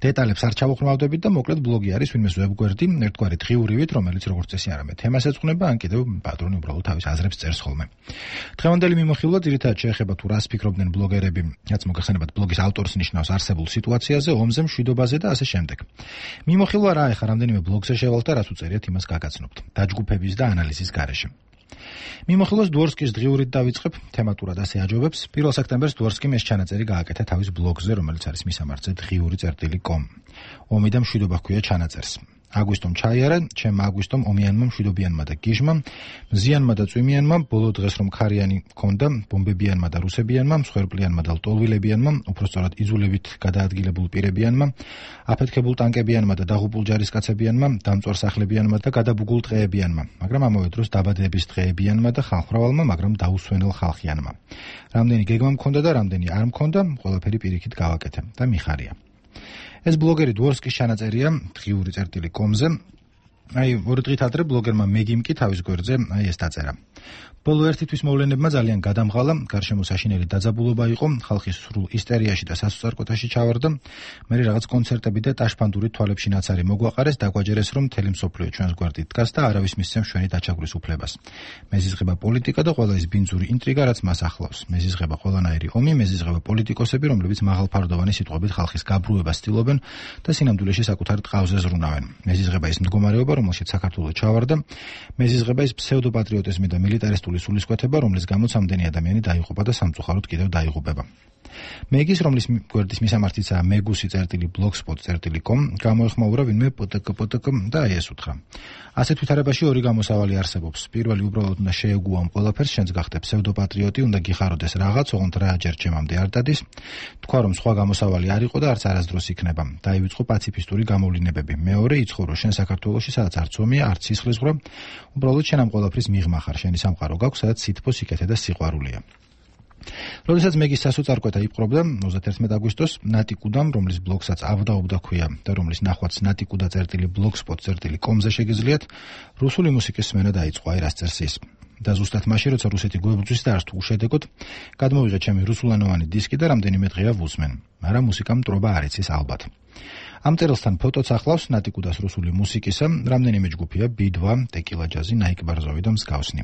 Speaker 20: დეტალებს არ ჩავუხმავდებით და მოკლედ ბლოგი არის ვინმეს ვებგვერდი, ერთგვარი დღიურივით, რომელიც როგორც წესი არამედ თემას ეძღვნება, ან კიდევ პატრონი უბრალოდ თავის აზრებს წერს ხოლმე. დღევანდელი მიმოხილვა ძირითადად შეეხება თუ რას ფიქრობდნენ ბლოგერები, რაც მოგეხსენებათ ბლოგის ავტორს ნიშნავს არსებულ სიტუაციაზე, ომზე, მშვიდობაზე და ასე შემდეგ. მიმოხილვა რა ეხა რამდენიმე ბლოგზე შევალთ და რაც უწერიათ იმას გაგაცნობთ. დაჯგუფების და ანალიზის გარეშე. მიმოხილვას დვორსკის დღიურით დავიწყებ, თემატურად ასე აჯობებს. პირველ სექტემბერს დვორსკიმ ეს ჩანაწერი გააკეთა თავის ბლოგზე, რომელიც არის მისამართზე დღიური წერტილი კომ. ომი და მშვიდობა ჰქვია ჩანაწერს. აგვისტომ ჩაიარა, ჩემ აგვისტომ ომიანმა მშვიდობიანმა და გიჟმა, მზიანმა და წვიმიანმა, ბოლო დღეს რომ ქარიანი ჰქონდა, ბომბებიანმა და რუსებიანმა, მსხვერპლიანმა და ლტოლვილებიანმა, უпростоრად იზოლებით გადაადგილებულ პირებიანმა, აფეთქებულ ტანკებიანმა და დაღუპულ ჯარისკაცებიანმა, დამწვარ სახლებიანმა და გადაბუგულ ტყეებიანმა, მაგრამ ამავე დროს დაბადების დღეებიანმა და ხალხმრავალმა, მაგრამ დაუსვენელ ხალხიანმა. რამდენი გეგმა მქონდა და რამდენი არ მქონდა, ყველაფერი პირიქით გავაკეთე და მიხარია. ეს ბლოგერი დვორსკის ჩანაწერია დღიური წერტილი კომზე. აი, ორი დღით ადრე ბლოგერმა მეგიმ კი თავის გვერდზე აი ეს დაწერა. ბოლო ერთი თვის მოვლენებმა ძალიან გადამღალა, გარშემო საშინელი დაძაბულობა იყო, ხალხი სრულ ისტერიაში და სასწარკვეთაში ჩავარდა. მე რაღაც კონცერტები და ტაშფანდური თვალებში ნაცარი მოგვაყარეს, დაგვაჯერეს რომ მთელი მსოფლიო ჩვენს გვერდით დგას და არავის მისცემს ჩვენი დაჩაგვრის უფლებას. მეზიზღება პოლიტიკა და ყველა ის ბინძური ინტრიგა, რაც მას ახლავს. მეზიზღება ყველანაირი ომი, მეზიზღება პოლიტიკოსები, რომლებიც მაღალფარდოვანი სიტყვებით ხალხის გაბრუებას ცდილობენ და სინამდვილეში საკუთარ ტყავზე ზრუნავენ. მეზიზღება ის მდგომარეობა, რომელშიც საქართველო ჩავარდა. მეზიზღება ის ფსევდოპატრიოტიზმი და მილიტარისტული სულისკვეთება, რომლის გამოც ამდენი ადამიანი დაიღუპა და სამწუხაროდ კიდევ დაიღუპება. მეგის, რომლის გვერდის მისამართიცაა მეგუსი წერტილი blogspot წერტილი com, გამოეხმაურა ვინმე პტკ პტკ და აი ეს უთხრა. ასეთ ვითარებაში ორი გამოსავალი არსებობს. პირველი უბრალოდ უნდა შეეგუამ ყველაფერს, შენც გახდე ფსევდოპატრიოტი, უნდა გიხაროდეს რაღაც, ოღონდ რა ჯერ ჩემამდე არ დადის. თქვა რომ სხვა გამოსავალი არ იყო და არც არასდროს იქნება. დაივიწყო პაციფისტური გამოვლინებები. მეორე, იცხოვრო შენ საქართველოში, სადაც არც ომია, არც სისხლისღვრა, უბრალოდ შენ ამ ყველაფრის მიღმა ხარ, შენი სამყარო გაქვს, სადაც სითბო, სიკეთე და სიყვარულია. როდესაც მეგის სასოწარკვეთა იპყრობდა ოცდაერთი აგვისტოს ნატიკუდამ, რომლის ბლოგსაც ავდაობდა ქვია და რომლის ნახვაც ნატიკუდა წერტილი blogspot წერტილი com-ზე შეგიძლიათ, რუსული მუსიკის სმენა დაიწყო, აი რას წერს ის. და ზუსტად მაშინ, როცა რუსეთი გვებრძვის და არც თუ უშედეგოდ, გადმოვიღე ჩემი რუსულენოვანი დისკი და რამდენიმე დღეა ვუსმენ, მაგრამ მუსიკამ მტრობა არ იცის ალბათ. ამ წერილსთან ფოტოც ახლავს ნატიკუდას რუსული მუსიკისა, რამდენიმე ჯგუფია ბი-დვა, ტეკილა ჯაზი, ნაიკ ბარზოვი და მსგავსნი.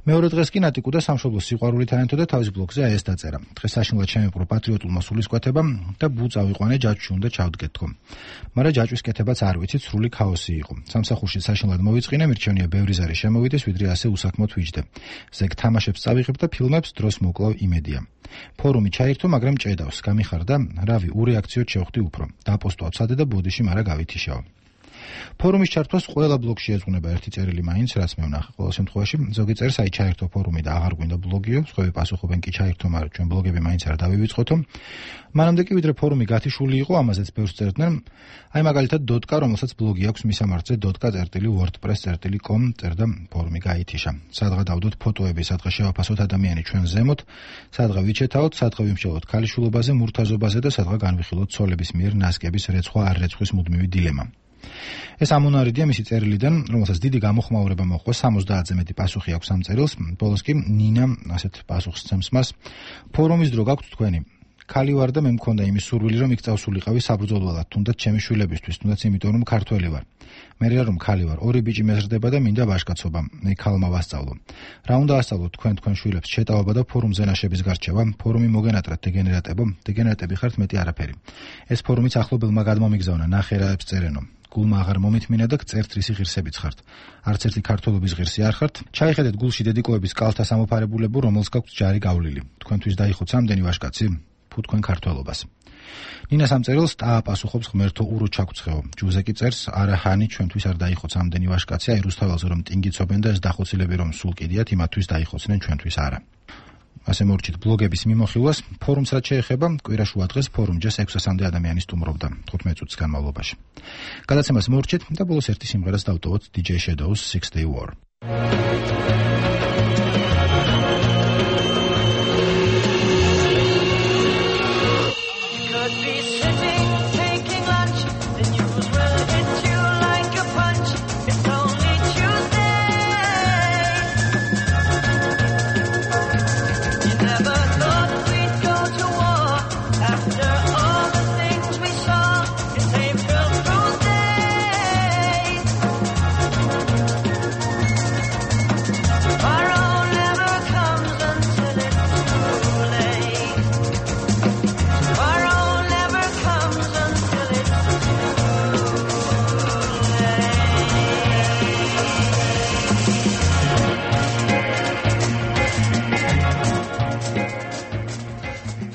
Speaker 20: მეორე დღეს კი ნატიკუდა სამშობლოს სიყვარულით აენთო და თავის ბლოგზე აი ეს დაწერა. დღეს საშინლად შემიპყრო პატრიოტულმა სულისკვეთებამ და ბუ წავიყვანე ჯაჭვში უნდა ჩავდგეთ თქო. მაგრამ ჯაჭვის კეთებაც არ ვიცით, სრული ქაოსი იყო. სამსახურში საშინლად მოვიწყინე, მირჩენია ბევრი ზარი შემოვიდეს, ვიდრე ასე უსაქმოდ ვიჯდე. ზეგ თამაშებს წავიღებ და ფილმებს დროს მოკლავ იმედია. ფორუმი ჩაირთო, მაგრამ ჭედავს, გამიხარდა, რავი, ურეაქციოდ შევხვდი უფრო. დაპოსტვა ცადე და ბოდიში მარა გავითიშავა. ფორუმის ჩართვას ყველა ბლოგში ეძღვნება ერთი წერილი მაინც, რაც მე ვნახე. ყოველ შემთხვევაში ზოგი წერს აი ჩაერთო ფორუმი და აღარ გვინდა ბლოგიო, სხვები პასუხობენ კი ჩაერთო, მაგრამ ჩვენ ბლოგები მაინც არ დავივიწყოთო. მანამდე კი ვიდრე ფორუმი გათიშული იყო, ამაზეც ბევრს წერდნენ. აი მაგალითად დოტკა, რომელსაც ბლოგი აქვს მისამართზე დოტკა წერტილი wordpress წერტილი com წერდა ფორუმი გაითიშა. სადღა დავდოთ ფოტოები, სადღა შევაფასოთ ადამიანი ჩვენ ზემოთ, სადღა ვიჩეთაოთ, სადღა ვიმსჯელოთ ქალიშვილობაზე, მურთაზობაზე და სადღა განვიხილოთ ცოლების მიერ ნასკების რეცხვა არ რეცხვის მუდმივი დილემა. ეს ამონარიდია მისი წერილიდან, რომელსაც დიდი გამოხმაურება მოჰყვა, სამოცდაათზე მეტი პასუხი აქვს ამ წერილს. ბოლოს კი ნინა ასეთ პასუხს ცემს მას. ფორუმის დრო გაქვთ თქვენი. ქალი ვარ და მე მქონდა იმის სურვილი, რომ იქ წავსულიყავი საბრძოლველად, თუნდაც ჩემი შვილებისთვის, თუნდაც იმიტომ, რომ ქართველი ვარ. მე რომ ქალი ვარ, ორი ბიჭი მეზრდება და მინდა ვაჟკაცობა. მე ქალმა ვასწავლო. რა უნდა ასწავლოთ თქვენ თქვენ შვილებს? შეტავება და ფორუმზე ნაშების გარჩევა, ფორუმი მოგენატრათ დეგენერატებო, დეგენერატები ხართ მეტი არაფერი. ეს ფორუმიც ახლობელმა გადმომიგზავნა, ნახერაებს წერენო. გულმა აღარ მომითმინა და წერთ რისი ღირსებიც ხართ. არც ერთი ქართველობის ღირსი არ ხართ. ჩაიხედეთ გულში დედიკოების კალთა სამოფარებულებო, რომელს გაქვთ ჯარი გავლილი. თქვენთვის დაიხოთ სამდენი ვაჟკაცი, ფუ თქვენ ქართველობას. ნინა სამწერილს დააპასუხობს ღმერთო ურო ჩაგწეო. ჯუზეკი წერს, არა ჰანი ჩვენთვის არ დაიხოთ სამდენი ვაჟკაცი, აი რუსთაველზე რომ ტინგიცობენ და ეს დახოცილები რომ სულ კიდიათ, იმათთვის დაიხოცნენ ჩვენთვის არა. ასე მორჩით ბლოგების მიმოხილვას, ფორუმს რაც შეეხება, კვირაშუა დღეს ფორუმჯეს ექვსასამდე ადამიანი სტუმრობდა თხუთმეტ წუთის განმავლობაში. გადაცემას მორჩით და ბოლოს ერთი სიმღერას დავტოვოთ დი ჯეი Shadows Six Day War.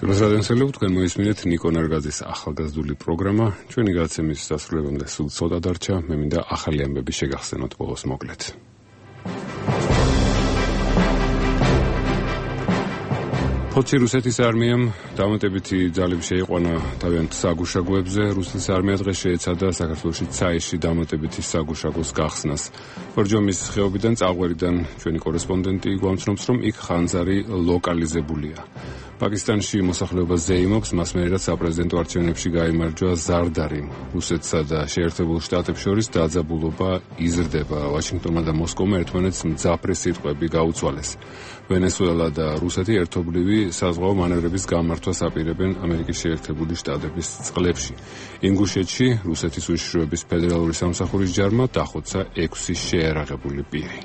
Speaker 1: რადიოსელებ თქვენ მოისმინეთ ნიკო ნარგაძის ახალგაზრდული პროგრამა. ჩვენი გადაცემის დასრულებამდე სულ ცოტა დარჩა. მე მინდა ახალი ამბები შეგახსენოთ ბოლოს მოკლედ. ფოთში რუსეთის არმიამ დამატებითი ძალები შეიყვანა თავიანთ საგუშაგოებზე. რუსეთის არმია დღეს შეეცადა საქართველოში ცაისში დამატებითი საგუშაგოს გახსნას. ბორჯომის ხეობიდან წაღვერიდან ჩვენი კორესპონდენტი გვამცნობს, რომ იქ ხანძარი ლოკალიზებულია. პაკისტანში მოსახლეობა ზეიმობს, მას მერე საპრეზიდენტო არჩევნებში გაიმარჯვა ზარდარიმ. რუსეთსა და შეერთებულ შტატებს შორის დაძაბულობა იზრდება. ვაშინგტონმა და მოსკოვმა ერთმანეთს მძაფრი სიტყვები გაუცვალეს. ვენესუელა და რუსეთი ერთობლივი საზღვაო მანევრების გამართვას აპირებენ ამერიკის შეერთებული შტატების წყლებში. ინგუშეთში რუსეთის უშიშროების ფედერალური სამსახურის ჯარმა დახოცა ექვსი შეერაღებული პირი.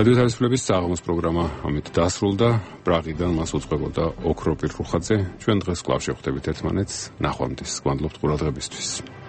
Speaker 1: რადიო თავისუფლების საღამოს პროგრამა ამით დასრულდა. პრაღიდან მას უწყებოდა ოქროპირ რუხაძე. ჩვენ დღეს კვლავ შევხვდებით ერთმანეთს. ნახვამდის. გვანდლობთ ყურადღებისთვის.